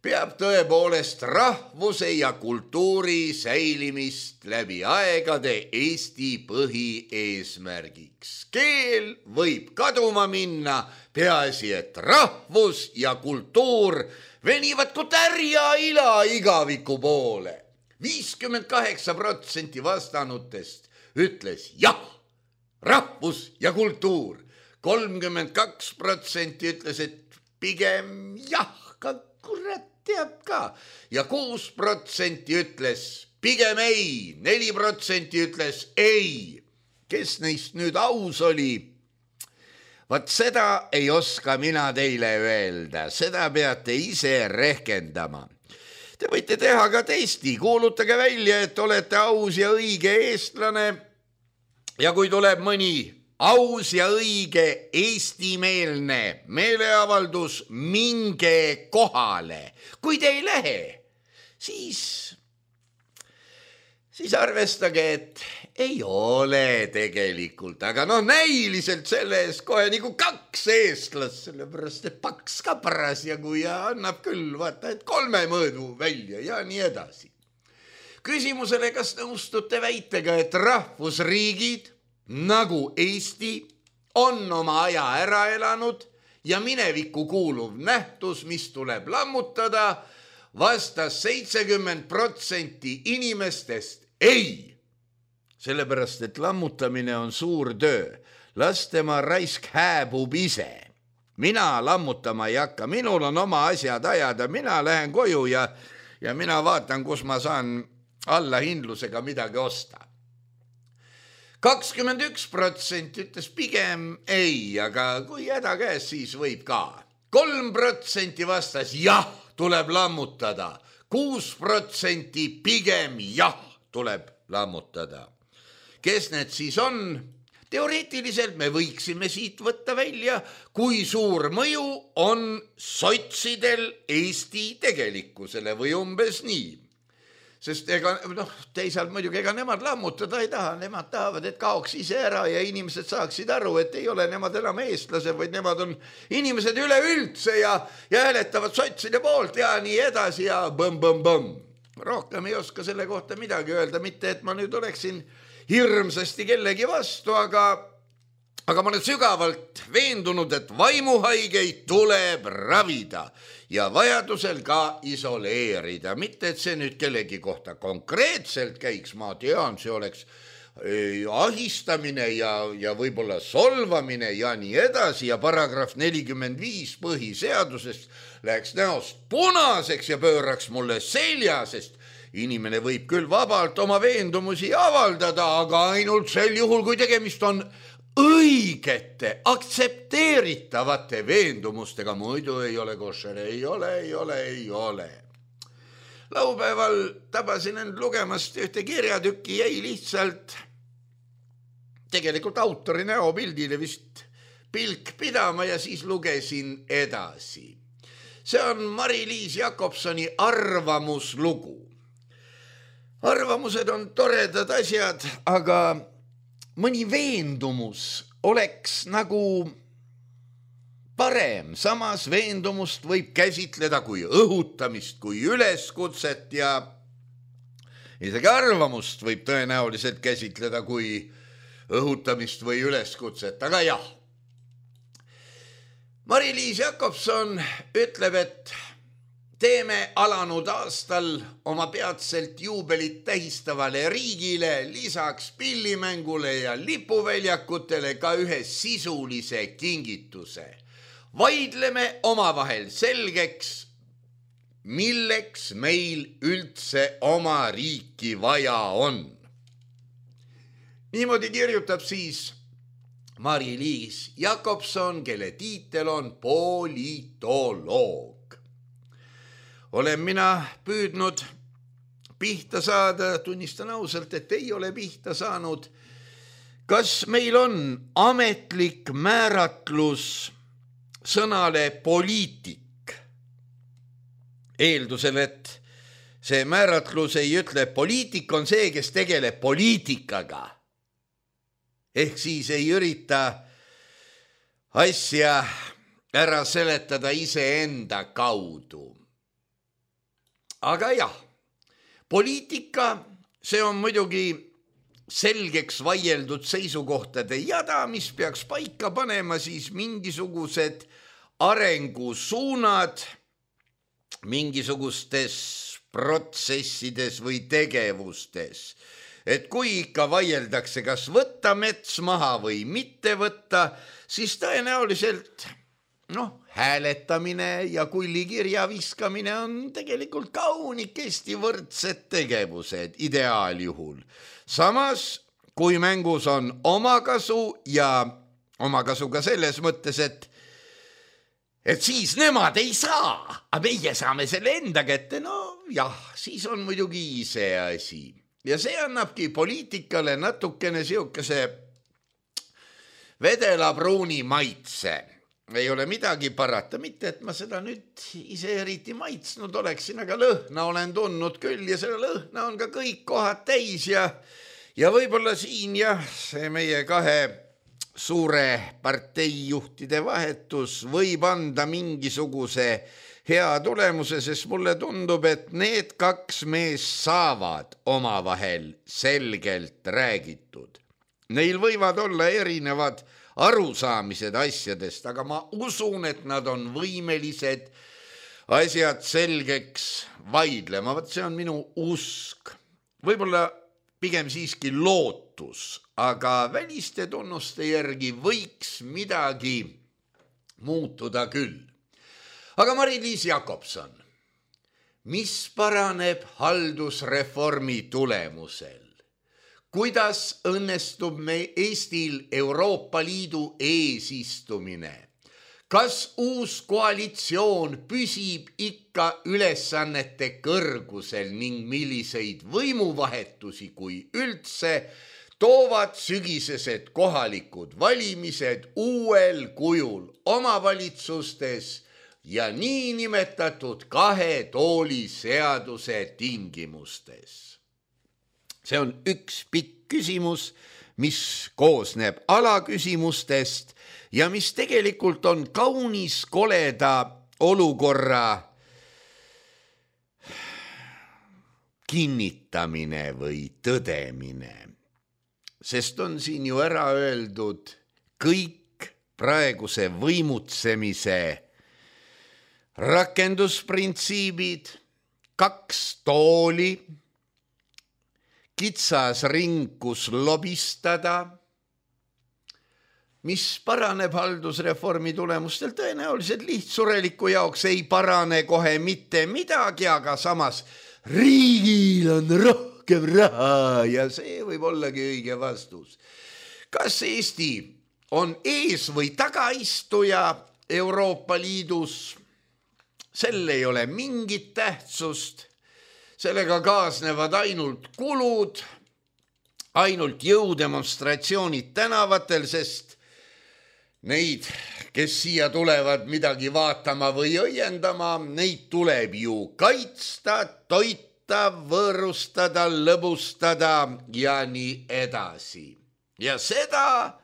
peab tõepoolest rahvuse ja kultuuri säilimist läbi aegade Eesti põhieesmärgiks. Keel võib kaduma minna, peaasi, et rahvus ja kultuur venivad kui tärja ila igaviku poole. viiskümmend kaheksa protsenti vastanutest ütles jah, rahvus ja kultuur. kolmkümmend kaks protsenti ütles, et pigem jah, ka kurat teab ka. Ja kuus protsenti ütles pigem ei, neli protsenti ütles ei. Kes neist nüüd aus oli? Vaat seda ei oska mina teile öelda, seda peate ise rehkendama. Te võite teha ka testi, kuulutage välja, et olete aus ja õige eestlane ja kui tuleb mõni aus ja õige eestimeelne meeleavaldus, minge kohale. Kui te ei lähe, siis, siis arvestage, et ei ole tegelikult, aga noh, näiliselt selle ees kohe nagu kaks eestlast, sellepärast, et paks ka parasjagu ja annab küll, vaata, et kolme mõõdu välja ja nii edasi. Küsimusele, kas nõustute väitega, et rahvusriigid nagu Eesti on oma aja ära elanud ja minevikku kuuluv nähtus, mis tuleb lammutada, vastas seitsekümmend protsenti inimestest ei. Sellepärast, et lammutamine on suur töö. Las tema raisk hääbub ise. Mina lammutama ei hakka, minul on oma asjad ajada, mina lähen koju ja, ja mina vaatan, kus ma saan allahindlusega midagi osta. kakskümmend üks protsenti ütles pigem ei, aga kui häda käes, siis võib ka. kolm protsenti vastas jah, tuleb lammutada. kuus protsenti pigem jah, tuleb lammutada. Kes need siis on? Teoreetiliselt me võiksime siit võtta välja, kui suur mõju on sotsidel Eesti tegelikkusele või umbes nii. Sest ega, noh, teisalt muidugi ega nemad lammutada ei taha, nemad tahavad, et kaoks ise ära ja inimesed saaksid aru, et ei ole nemad enam eestlased, vaid nemad on inimesed üleüldse ja, ja hääletavad sotside poolt ja nii edasi ja põmm-põmm-põmm. Rohkem ei oska selle kohta midagi öelda, mitte et ma nüüd oleksin hirmsasti kellegi vastu, aga, aga ma olen sügavalt veendunud, et vaimuhaigeid tuleb ravida ja vajadusel ka isoleerida. Mitte, et see nüüd kellegi kohta konkreetselt käiks, ma tean, see oleks ahistamine ja, ja võib-olla solvamine ja nii edasi ja paragrahv nelikümmend viis põhiseadusest läheks näost punaseks ja pööraks mulle selja, sest inimene võib küll vabalt oma veendumusi avaldada, aga ainult sel juhul, kui tegemist on õigete, aktsepteeritavate veendumustega, muidu ei ole košer, ei ole, ei ole, ei ole. Laupäeval tabasin end lugemast ühte kirjatükki, jäi lihtsalt tegelikult autori näopildile vist pilk pidama ja siis lugesin edasi. See on Mari-Liis Jakobsoni arvamuslugu. Arvamused on toredad asjad, aga mõni veendumus oleks nagu parem. Samas veendumust võib käsitleda kui õhutamist, kui üleskutset ja isegi arvamust võib tõenäoliselt käsitleda kui õhutamist või üleskutset, aga jah. Mari-Liis Jakobson ütleb, et teeme alanud aastal oma peatselt juubelit tähistavale riigile lisaks pillimängule ja lipuväljakutele ka ühe sisulise kingituse. Vaidleme omavahel selgeks, milleks meil üldse oma riiki vaja on. Niimoodi kirjutab siis Mari-Liis Jakobson, kelle tiitel on politoloog. Olen mina püüdnud pihta saada, tunnistan ausalt, et ei ole pihta saanud. Kas meil on ametlik määratlus sõnale poliitik? Eeldusel, et see määratlus ei ütle, poliitik on see, kes tegeleb poliitikaga. Ehk siis ei ürita asja ära seletada iseenda kaudu. Aga jah, poliitika, see on muidugi selgeks vaieldud seisukohtade jada, mis peaks paika panema siis mingisugused arengusuunad mingisugustes protsessides või tegevustes. Et kui ikka vaieldakse, kas võtta mets maha või mitte võtta, siis tõenäoliselt noh, hääletamine ja kullikirja viskamine on tegelikult kaunikesti võrdsed tegevused ideaaljuhul. Samas, kui mängus on omakasu ja omakasu ka selles mõttes, et et siis nemad ei saa, aga meie saame selle enda kätte, no jah, siis on muidugi see asi. Ja see annabki poliitikale natukene siukese vedela pruuni maitse. Ei ole midagi parata, mitte et ma seda nüüd ise eriti maitsnud oleksin, aga lõhna olen tundnud küll ja selle lõhna on ka kõik kohad täis ja, ja võib-olla siin jah, see meie kahe suure parteijuhtide vahetus võib anda mingisuguse hea tulemuse, sest mulle tundub, et need kaks mees saavad omavahel selgelt räägitud. Neil võivad olla erinevad arusaamised asjadest, aga ma usun, et nad on võimelised asjad selgeks vaidlema. Vaat see on minu usk. Võib-olla pigem siiski lootus, aga väliste tunnuste järgi võiks midagi muutuda küll. Aga Mari-Liis Jakobson, mis paraneb haldusreformi tulemusel? Kuidas õnnestub me Eestil Euroopa Liidu eesistumine? Kas uus koalitsioon püsib ikka ülesannete kõrgusel ning milliseid võimuvahetusi kui üldse toovad sügisesed kohalikud valimised uuel kujul omavalitsustes ja niinimetatud kahe tooli seaduse tingimustes? See on üks pikk küsimus, mis koosneb alaküsimustest ja mis tegelikult on kaunis koleda olukorra kinnitamine või tõdemine. Sest on siin ju ära öeldud kõik praeguse võimutsemise rakendusprintsiibid, kaks tooli, kitsas ring, kus lobistada, mis paraneb haldusreformi tulemustel tõenäoliselt lihtsureliku jaoks ei parane kohe mitte midagi, aga samas riigil on rohkem raha ja see võib ollagi õige vastus. Kas Eesti on ees või tagaistuja Euroopa Liidus? Sel ei ole mingit tähtsust. Sellega kaasnevad ainult kulud, ainult jõudemonstratsioonid tänavatel, sest neid, kes siia tulevad midagi vaatama või õiendama, neid tuleb ju kaitsta, toita, võõrustada, lõbustada ja nii edasi. Ja seda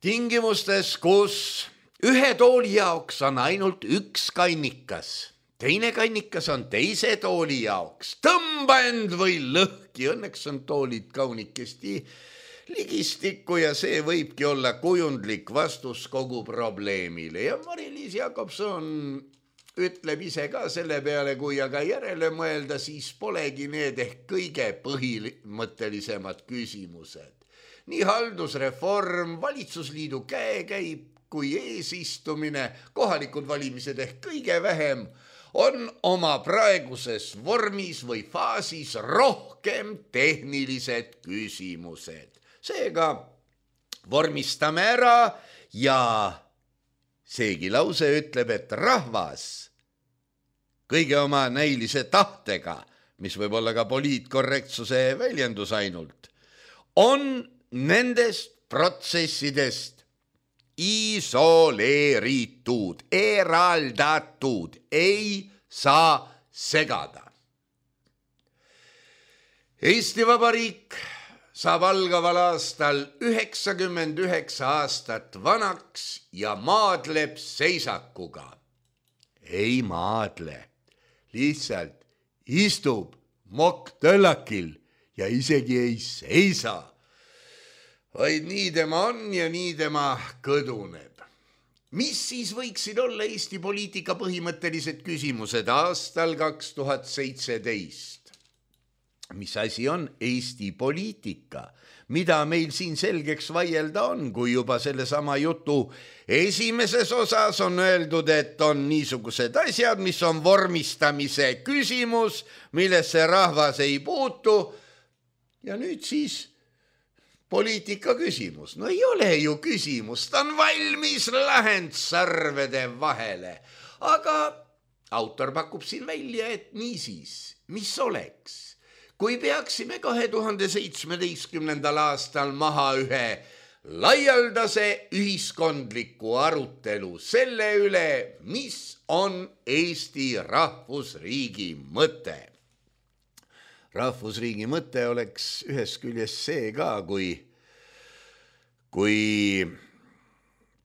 tingimustes, kus ühe tooli jaoks on ainult üks kannikas, teine kannikas on teise tooli jaoks. Tõmba end või lõhki, õnneks on toolid kaunikesti ligistikku ja see võibki olla kujundlik vastus kogu probleemile. Ja Mari-Liis Jakobson ütleb ise ka selle peale, kui aga järele mõelda, siis polegi need ehk kõige põhimõttelisemad küsimused. Nii haldusreform, valitsusliidu käekäib kui eesistumine, kohalikud valimised ehk kõige vähem, on oma praeguses vormis või faasis rohkem tehnilised küsimused. Seega vormistame ära ja seegi lause ütleb, et rahvas kõige oma näilise tahtega, mis võib olla ka poliitkorrektsuse väljendus ainult, on nendest protsessidest isoleeritud, eraldatud, ei saa segada. Eesti Vabariik saab algaval aastal üheksakümmend üheksa aastat vanaks ja maadleb seisakuga. Ei maadle, lihtsalt istub mokktöllakil ja isegi ei seisa, vaid nii tema on ja nii tema kõduneb. Mis siis võiksid olla Eesti poliitika põhimõttelised küsimused aastal kaks tuhat seitseteist? Mis asi on Eesti poliitika? Mida meil siin selgeks vaielda on, kui juba selle sama jutu esimeses osas on öeldud, et on niisugused asjad, mis on vormistamise küsimus, millesse rahvas ei puutu. Ja nüüd siis poliitika küsimus. No ei ole ju küsimus, ta on valmis lahend sarvede vahele. Aga autor pakub siin välja, et niisiis, mis oleks? Kui peaksime kahe tuhande seitsmeteistkümnendal aastal maha ühe laialdase ühiskondliku arutelu selle üle, mis on Eesti rahvusriigi mõte. Rahvusriigi mõte oleks ühes küljes see ka, kui, kui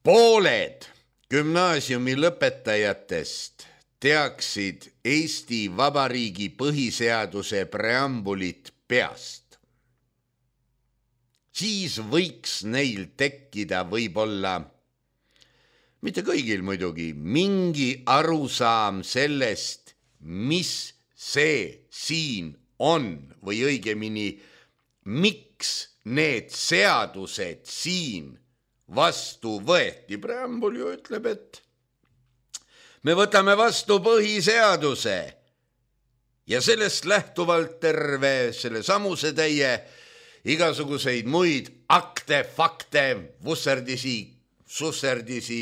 pooled gümnaasiumi lõpetajatest teaksid Eesti Vabariigi põhiseaduse preambulit peast, siis võiks neil tekkida võib-olla, mitte kõigil muidugi, mingi arusaam sellest, mis see siin on või õigemini, miks need seadused siin vastu võeti. Preambul ju ütleb, et me võtame vastu põhiseaduse ja sellest lähtuvalt terve selle samuse täie igasuguseid muid akte, fakte, vusserdisi, susserdisi,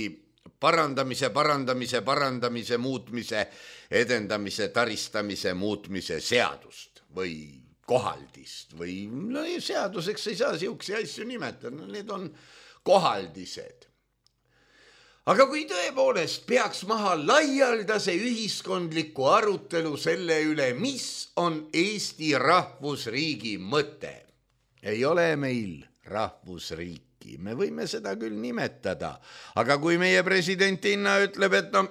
parandamise, parandamise, parandamise, muutmise, edendamise, taristamise, muutmise seadust või kohaldist või no, seaduseks ei saa siukse asju nimetada, need on kohaldised. Aga kui tõepoolest peaks maha laialdase ühiskondliku arutelu selle üle, mis on Eesti rahvusriigi mõte, ei ole meil rahvusriiki. Me võime seda küll nimetada, aga kui meie presidentinna ütleb, et no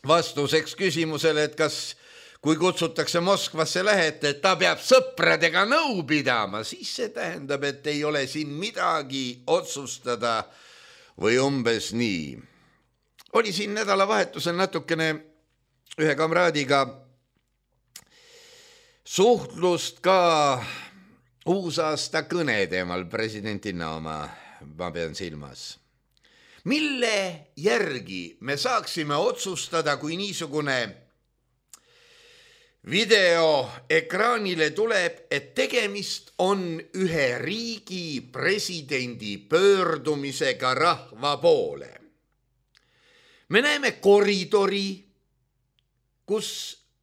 vastuseks küsimusele, et kas kui kutsutakse Moskvasse lähete, et ta peab sõpradega nõu pidama, siis see tähendab, et ei ole siin midagi otsustada või umbes nii. Oli siin nädalavahetusel natukene ühe kamraadiga suhtlust ka uusaasta kõne teemal, presidentina oma, ma pean silmas. Mille järgi me saaksime otsustada, kui niisugune video ekraanile tuleb, et tegemist on ühe riigi presidendi pöördumisega rahva poole. Me näeme koridori, kus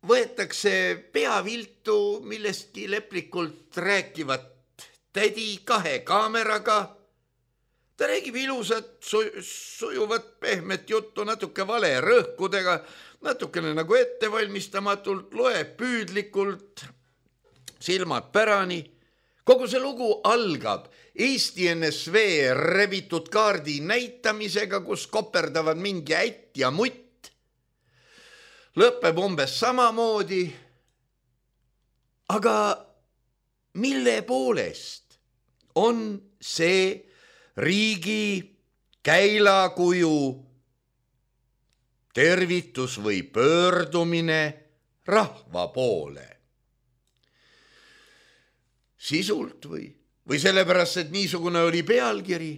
võetakse peaviltu millestki leplikult rääkivat tädi kahe kaameraga. ta räägib ilusat, sujuvat, pehmet juttu, natuke vale rõhkudega, natukene nagu ettevalmistamatult, loeb püüdlikult, silmad pärani. Kogu see lugu algab Eesti N S V rebitud kaardi näitamisega, kus koperdavad mingi ätt ja mutt. Lõpeb umbes samamoodi. Aga mille poolest on see riigi käilakuju tervitus või pöördumine rahva poole? Sisult või, või sellepärast, et niisugune oli pealkiri?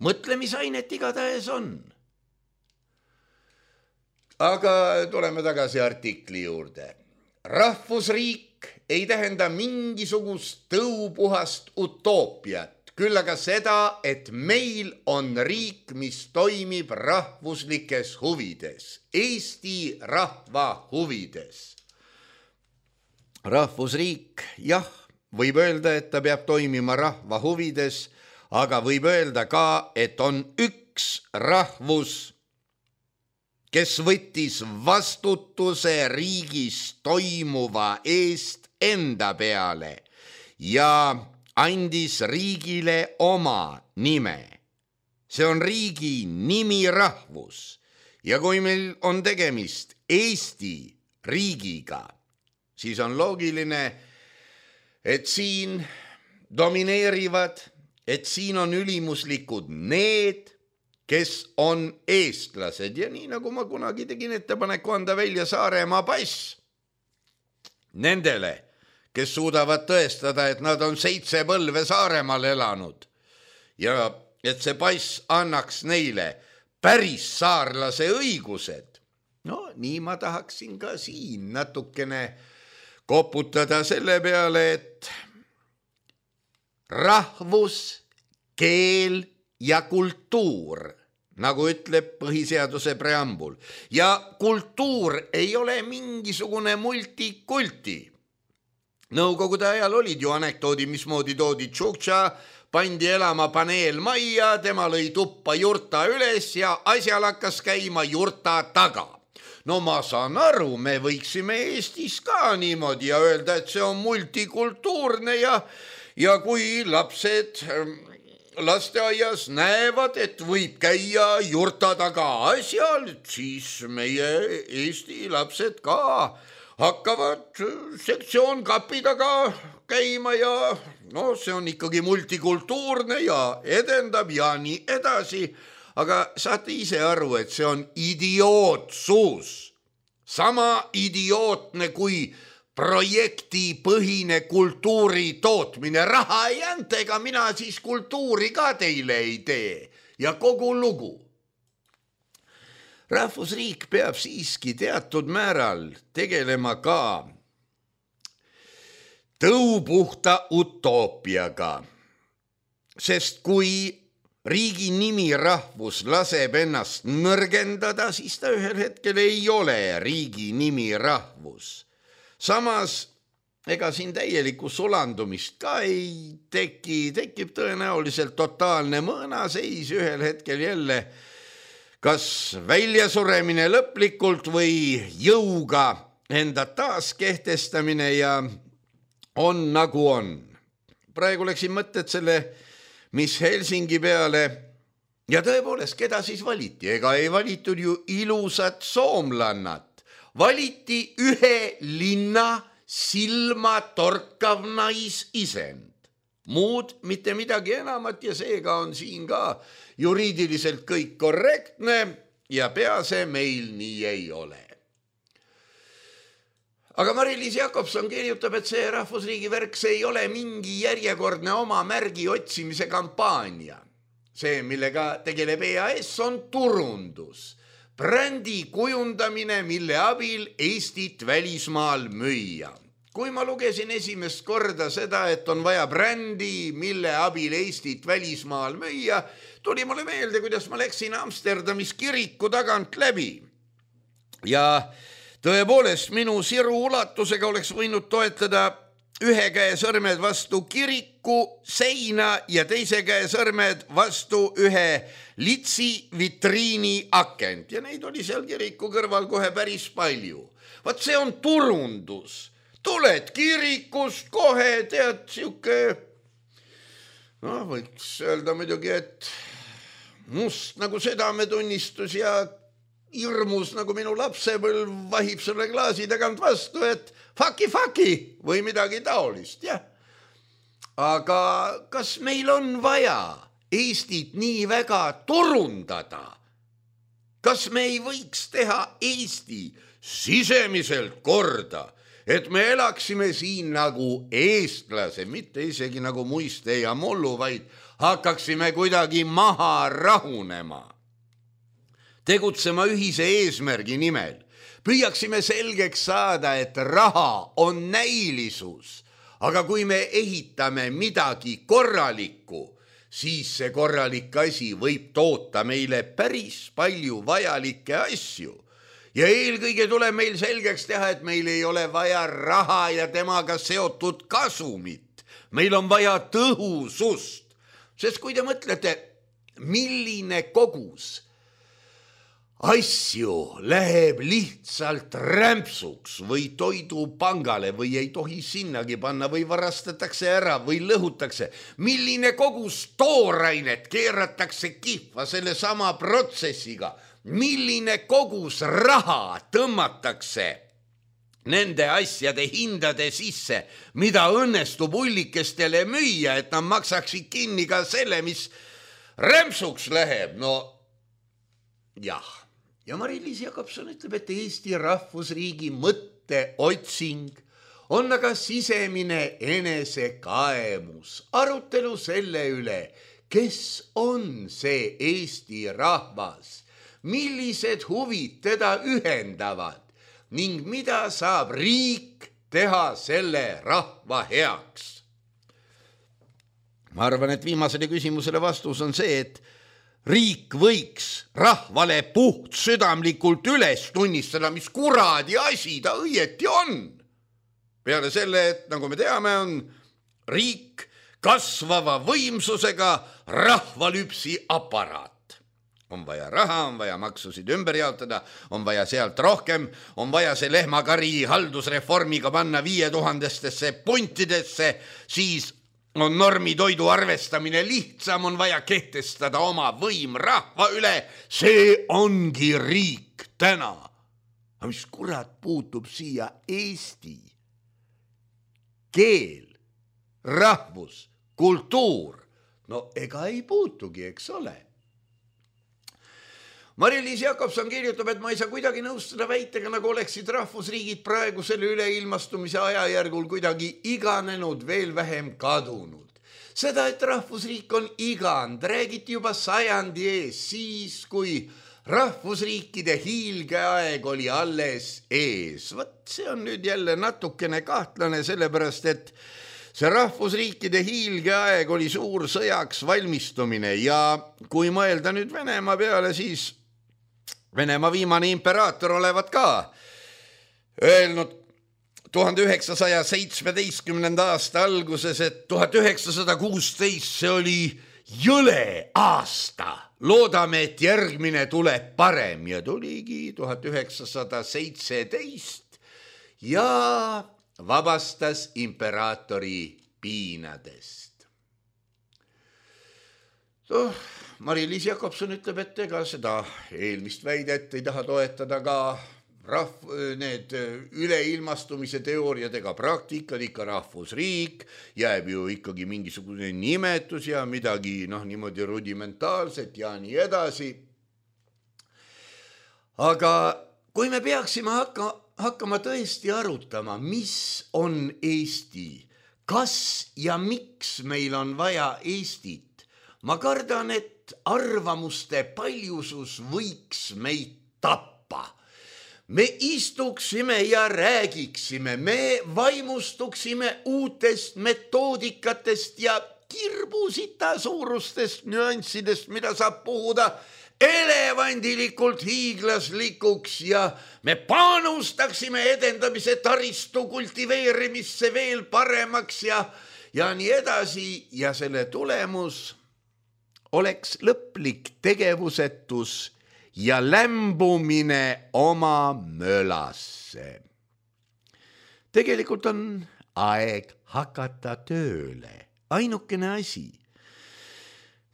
Mõtlemisainet igatahes on. Aga tuleme tagasi artikli juurde. Rahvusriik ei tähenda mingisugust tõupuhast utoopiat, küll aga seda, et meil on riik, mis toimib rahvuslikes huvides, Eesti rahva huvides. Rahvusriik, jah, võib öelda, et ta peab toimima rahva huvides, aga võib öelda ka, et on üks rahvus, kes võttis vastutuse riigis toimuva eest enda peale ja andis riigile oma nime. See on riigi nimirahvus ja kui meil on tegemist Eesti riigiga, siis on loogiline, et siin domineerivad, et siin on ülimuslikud need, kes on eestlased. Ja nii nagu ma kunagi tegin ettepaneku anda välja Saaremaa pass nendele, kes suudavad tõestada, et nad on seitse põlve Saaremaal elanud ja et see pass annaks neile päris saarlase õigused. No nii ma tahaksin ka siin natukene koputada selle peale, et rahvus, keel ja kultuur, nagu ütleb põhiseaduse preambul. Ja kultuur ei ole mingisugune multikulti. Nõukogude ajal olid ju anekdoodi, mismoodi toodi Tšuktša, pandi elama paneel majja, tema lõi tuppa jurta üles ja asjal hakkas käima jurta taga. No ma saan aru, me võiksime Eestis ka niimoodi ja öelda, et see on multikultuurne ja, ja kui lapsed lasteaias näevad, et võib käia jurta taga asjal, siis meie Eesti lapsed ka hakkavad sektsioon kapi taga käima ja no see on ikkagi multikultuurne ja edendab ja nii edasi. Aga saate ise aru, et see on idiootsus. Sama idiootne kui projektipõhine kultuuri tootmine. Raha ei anta, ega mina siis kultuuri ka teile ei tee. Ja kogu lugu. Rahvusriik peab siiski teatud määral tegelema ka tõupuhta utoopiaga. Sest kui riigi nimirahvus laseb ennast nõrgendada, siis ta ühel hetkel ei ole riigi nimirahvus. Samas, ega siin täielikku sulandumist ka ei teki, tekib tõenäoliselt totaalne mõõnaseis ühel hetkel jälle, kas väljasuremine lõplikult või jõuga enda taaskehtestamine ja on nagu on. Praegu läksin mõtted selle mis Helsingi peale ja tõepoolest, keda siis valiti? Ega ei valitud ju ilusat soomlannat. Valiti ühe linna silma torkav naisisend. Muud mitte midagi enamat ja seega on siin ka juriidiliselt kõik korrektne ja pease meil nii ei ole. Aga Mari-Liis Jakobson kirjutab, et see rahvusriigi värk, see ei ole mingi järjekordne oma märgi otsimise kampaania. See, millega tegeleb E A S, on turundus. Brändi kujundamine, mille abil Eestit välismaal müüa. Kui ma lugesin esimest korda seda, et on vaja brändi, mille abil Eestit välismaal müüa, tuli mulle meelde, kuidas ma läksin Amsterdamis kiriku tagant läbi. Ja tõepoolest, minu siru ulatusega oleks võinud toetada ühe käe sõrmed vastu kiriku seina ja teise käe sõrmed vastu ühe litsi vitriini akent ja neid oli seal kiriku kõrval kohe päris palju. Vaat see on turundus. Tuled kirikust kohe, tead, siuke, no võiks öelda muidugi, et must nagu südametunnistus ja hirmus nagu minu lapsepõlv vahib selle klaasi tagant vastu, et faki faki või midagi taolist, jah. Aga kas meil on vaja Eestit nii väga turundada? Kas me ei võiks teha Eesti sisemiselt korda, et me elaksime siin nagu eestlase, mitte isegi nagu muiste ja mullu, vaid hakkaksime kuidagi maha rahunema, tegutsema ühise eesmärgi nimel, püüaksime selgeks saada, et raha on näilisus, aga kui me ehitame midagi korralikku, siis see korralik asi võib toota meile päris palju vajalikke asju. Ja eelkõige tuleb meil selgeks teha, et meil ei ole vaja raha ja temaga seotud kasumit. Meil on vaja tõhusust, sest kui te mõtlete, milline kogus asju läheb lihtsalt rämpsuks või toidupangale või ei tohi sinnagi panna või varastatakse ära või lõhutakse, milline kogus toorainet keeratakse kihva selle sama protsessiga, milline kogus raha tõmmatakse nende asjade hindade sisse, mida õnnestub ullikestele müüa, et nad maksaksid kinni ka selle, mis rämpsuks läheb. No jah. Ja Mari-Liis Jakobson ütleb, et Eesti rahvusriigi mõtteotsing on aga sisemine enesekaemus, arutelu selle üle, kes on see Eesti rahvas, millised huvid teda ühendavad ning mida saab riik teha selle rahva heaks. Ma arvan, et viimasele küsimusele vastus on see, et riik võiks rahvale puht südamlikult üles tunnistada, mis kuradi asi ta õieti on. Peale selle, et nagu me teame, on riik kasvava võimsusega rahvalüpsi aparaat. On vaja raha, on vaja maksusid ümber jaotada, on vaja sealt rohkem, on vaja see lehmakari haldusreformiga panna viie tuhandestesse puntidesse, siis on normitoidu arvestamine lihtsam, on vaja kehtestada oma võim rahva üle, see ongi riik täna. Aga mis kurat puutub siia Eesti? Keel, rahvus, kultuur, no ega ei puutugi, eks ole. Mari-Liis Jakobson kirjutab, et ma ei saa kuidagi nõustuda väitega, nagu oleksid rahvusriigid praegu selle üleilmastumise ajajärgul kuidagi iganenud, veel vähem kadunud. Seda, et rahvusriik on igand, räägiti juba sajandi ees, siis kui rahvusriikide hiilgeaeg oli alles ees. Võt, see on nüüd jälle natukene kahtlane, sellepärast, et see rahvusriikide hiilgeaeg oli suur sõjaks valmistumine ja kui mõelda nüüd Venemaa peale, siis Venemaa viimane imperaator olevat ka öelnud tuhande üheksasaja seitsmeteistkümnenda aasta alguses, et tuhat üheksasada kuusteist see oli jõle aasta. Loodame, et järgmine tuleb parem ja tuligi tuhat üheksasada seitseteist ja vabastas imperaatori piinadest. Oh, Mari-Liis Jakobson ütleb, et ega seda eelmist väidet ei taha toetada ka rahv, need üleilmastumise teooriad ega praktikad, ikka rahvusriik, jääb ju ikkagi mingisugune nimetus ja midagi noh, niimoodi rudimentaalset ja nii edasi. Aga kui me peaksime hakka, hakkama tõesti arutama, mis on Eesti, kas ja miks meil on vaja Eestit, ma kardan, et arvamuste paljusus võiks meid tappa. Me istuksime ja räägiksime, me vaimustuksime uutest metoodikatest ja kirbusita suurustest nüanssidest, mida saab puhuda elevandilikult hiiglaslikuks ja me panustaksime edendamise taristu kultiveerimisse veel paremaks ja, ja nii edasi ja selle tulemus oleks lõplik tegevusetus ja lämbumine oma mölasse. Tegelikult on aeg hakata tööle. Ainukene asi,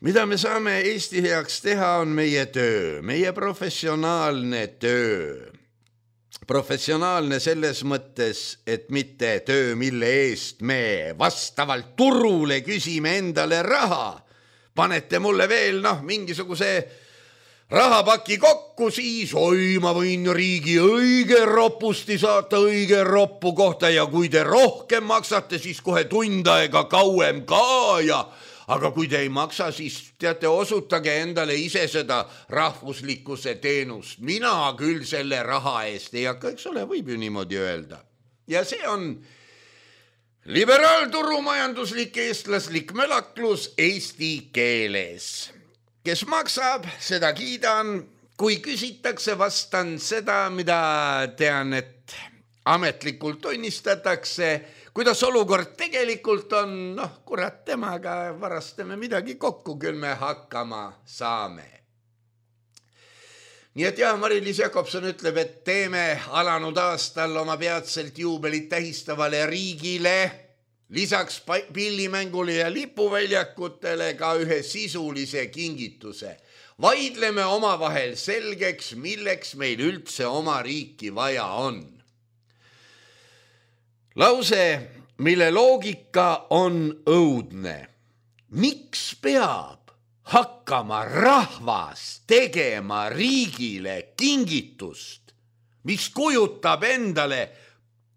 mida me saame Eesti heaks teha, on meie töö, meie professionaalne töö. Professionaalne selles mõttes, et mitte töö, mille eest me vastavalt turule küsime endale raha. Panete mulle veel noh, mingisuguse rahapaki kokku, siis oi, ma võin riigi õige ropusti saata õige roppu kohta ja kui te rohkem maksate, siis kohe tund aega kauem ka ja aga kui te ei maksa, siis teate, osutage endale ise seda rahvuslikkuse teenust. Mina küll selle raha eest ei hakka, eks ole, võib ju niimoodi öelda. Ja see on liberaalturumajanduslik eestlaslik mölaklus eesti keeles. Kes maksab, seda kiidan. Kui küsitakse, vastan seda, mida tean, et ametlikult tunnistatakse. Kuidas olukord tegelikult on, noh, kurat, temaga varastame midagi kokku, küll me hakkama saame. Nii et jah, Mari-Liis Jakobson ütleb, et teeme alanud aastal oma peatselt juubelit tähistavale riigile lisaks pillimängule ja lipuväljakutele ka ühe sisulise kingituse. Vaidleme omavahel selgeks, milleks meil üldse oma riiki vaja on. Lause, mille loogika on õudne. Miks peab hakkama rahvas tegema riigile kingitust, mis kujutab endale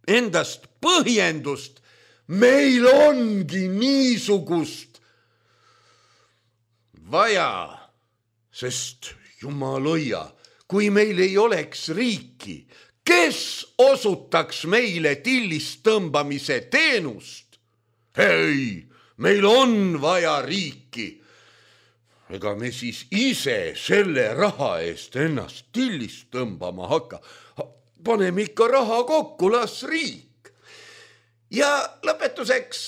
endast põhjendust? Meil ongi niisugust vaja, sest jumaloia, kui meil ei oleks riiki, kes osutaks meile tillist tõmbamise teenust? Hei, meil on vaja riiki. Ega me siis ise selle raha eest ennast tillist tõmbama hakka. Paneme ikka raha kokku, las riik. Ja lõpetuseks,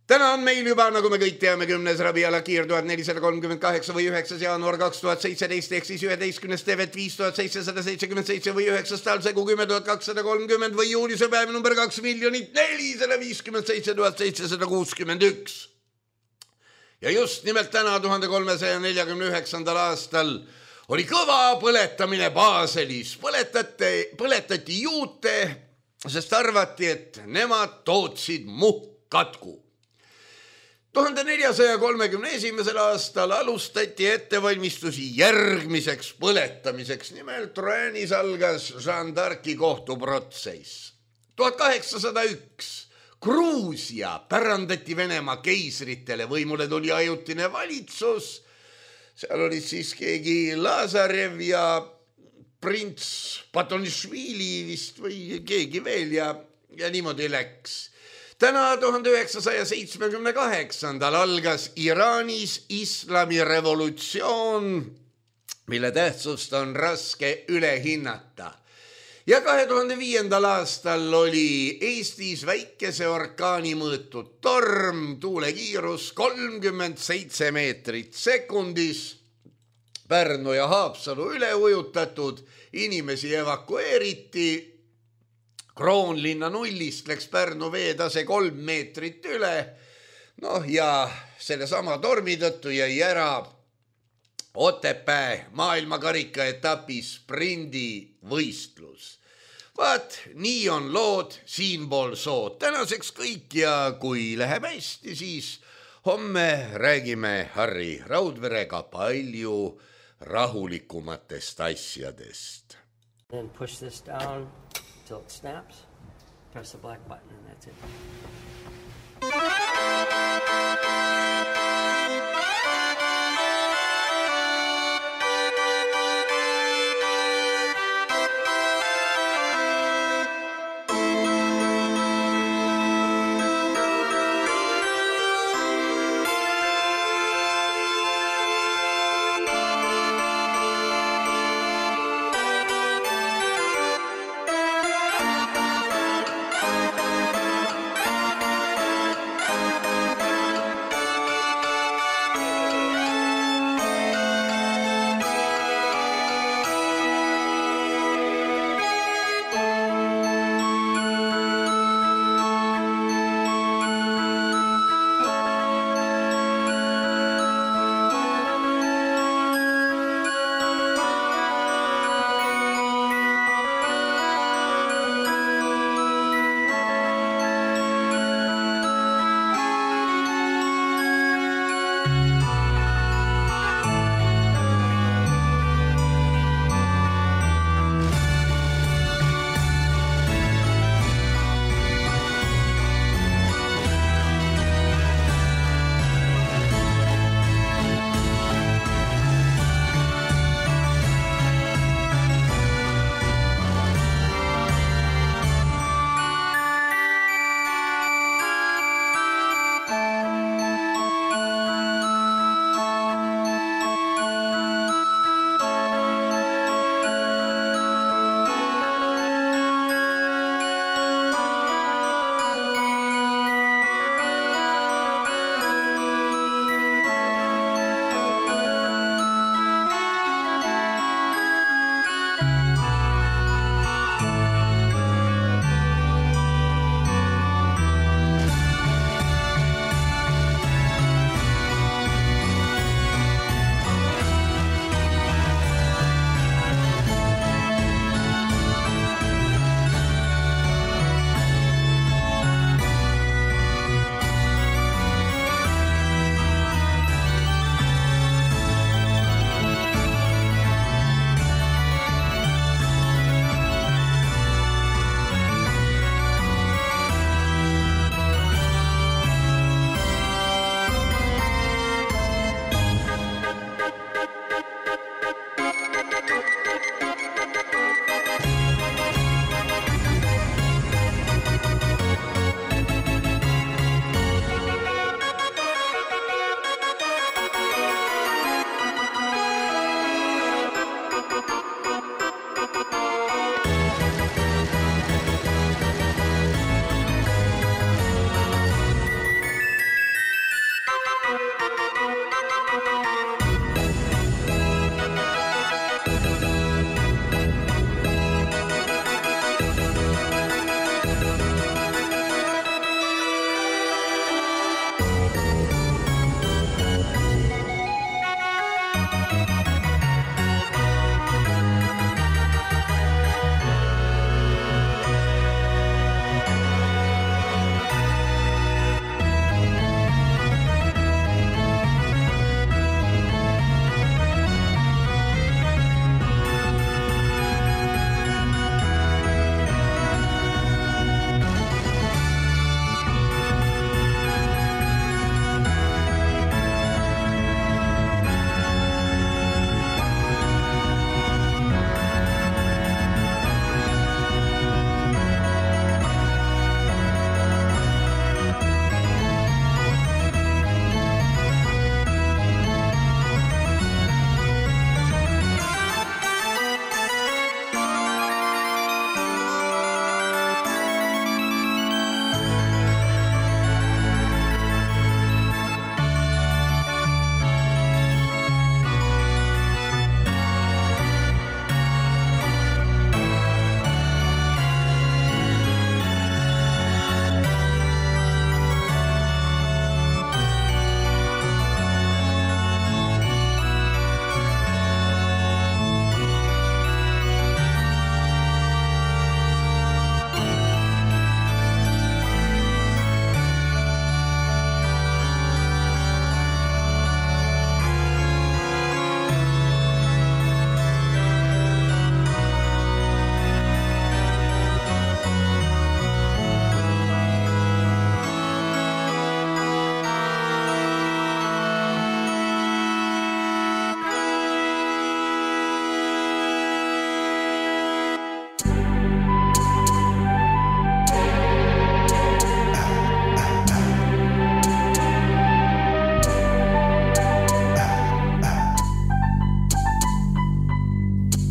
täna on meil juba, nagu me kõik teame, kümnes Rabiala Kiir tuhat nelisada kolmkümmend kaheksa või üheksas jaanuar kaks tuhat seitseteist ehk siis üheteistkümnes Tevet viis tuhat seitsesada seitsekümmend seitse või üheksas talsegu kümme tuhat kakssada kolmkümmend või juunise päev number kaks miljonit nelisada viiskümmend seitse tuhat seitsesada kuuskümmend üks. Ja just nimelt täna tuhande kolmesaja neljakümne üheksandal aastal oli kõva põletamine Baselis. Põletati, põletati juute, sest arvati, et nemad tootsid muhkkatku. tuhande neljasaja kolmekümne esimesel aastal alustati ettevalmistusi järgmiseks põletamiseks. Nimelt Royanis algas Jeanne d'Arci kohtuprotsess. tuhat kaheksasada üks Gruusia pärandati Venemaa keisritele, võimule tuli ajutine valitsus. Seal oli siis keegi Lazarev ja prints Patonišvili vist või keegi veel ja, ja niimoodi läks. Täna tuhande üheksasaja seitsmekümne kaheksandal algas Iraanis islamirevolutsioon, mille tähtsust on raske üle hinnata. Ja kahe tuhande viiendal aastal oli Eestis väikese orkaani mõõtud torm, tuulekiirus kolmkümmend seitse meetrit sekundis. Pärnu ja Haapsalu üle ujutatud, inimesi evakueeriti. Kroonlinna nullist läks Pärnu veetase kolm meetrit üle. Noh ja selle sama tormi tõttu jäi ära Otepää maailmakarika etapis sprindi võistlus. Vaat, nii on lood siinpool sood. Tänaseks kõik ja kui läheb hästi, siis homme räägime Harri Raudverega palju rahulikumatest asjadest. Then push this down until it snaps. Press the black button and that's it.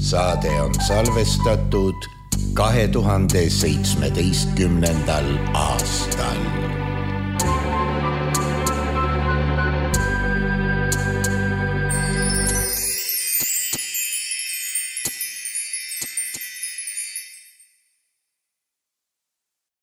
saade on salvestatud kahe tuhande seitsmeteistkümnendal aastal.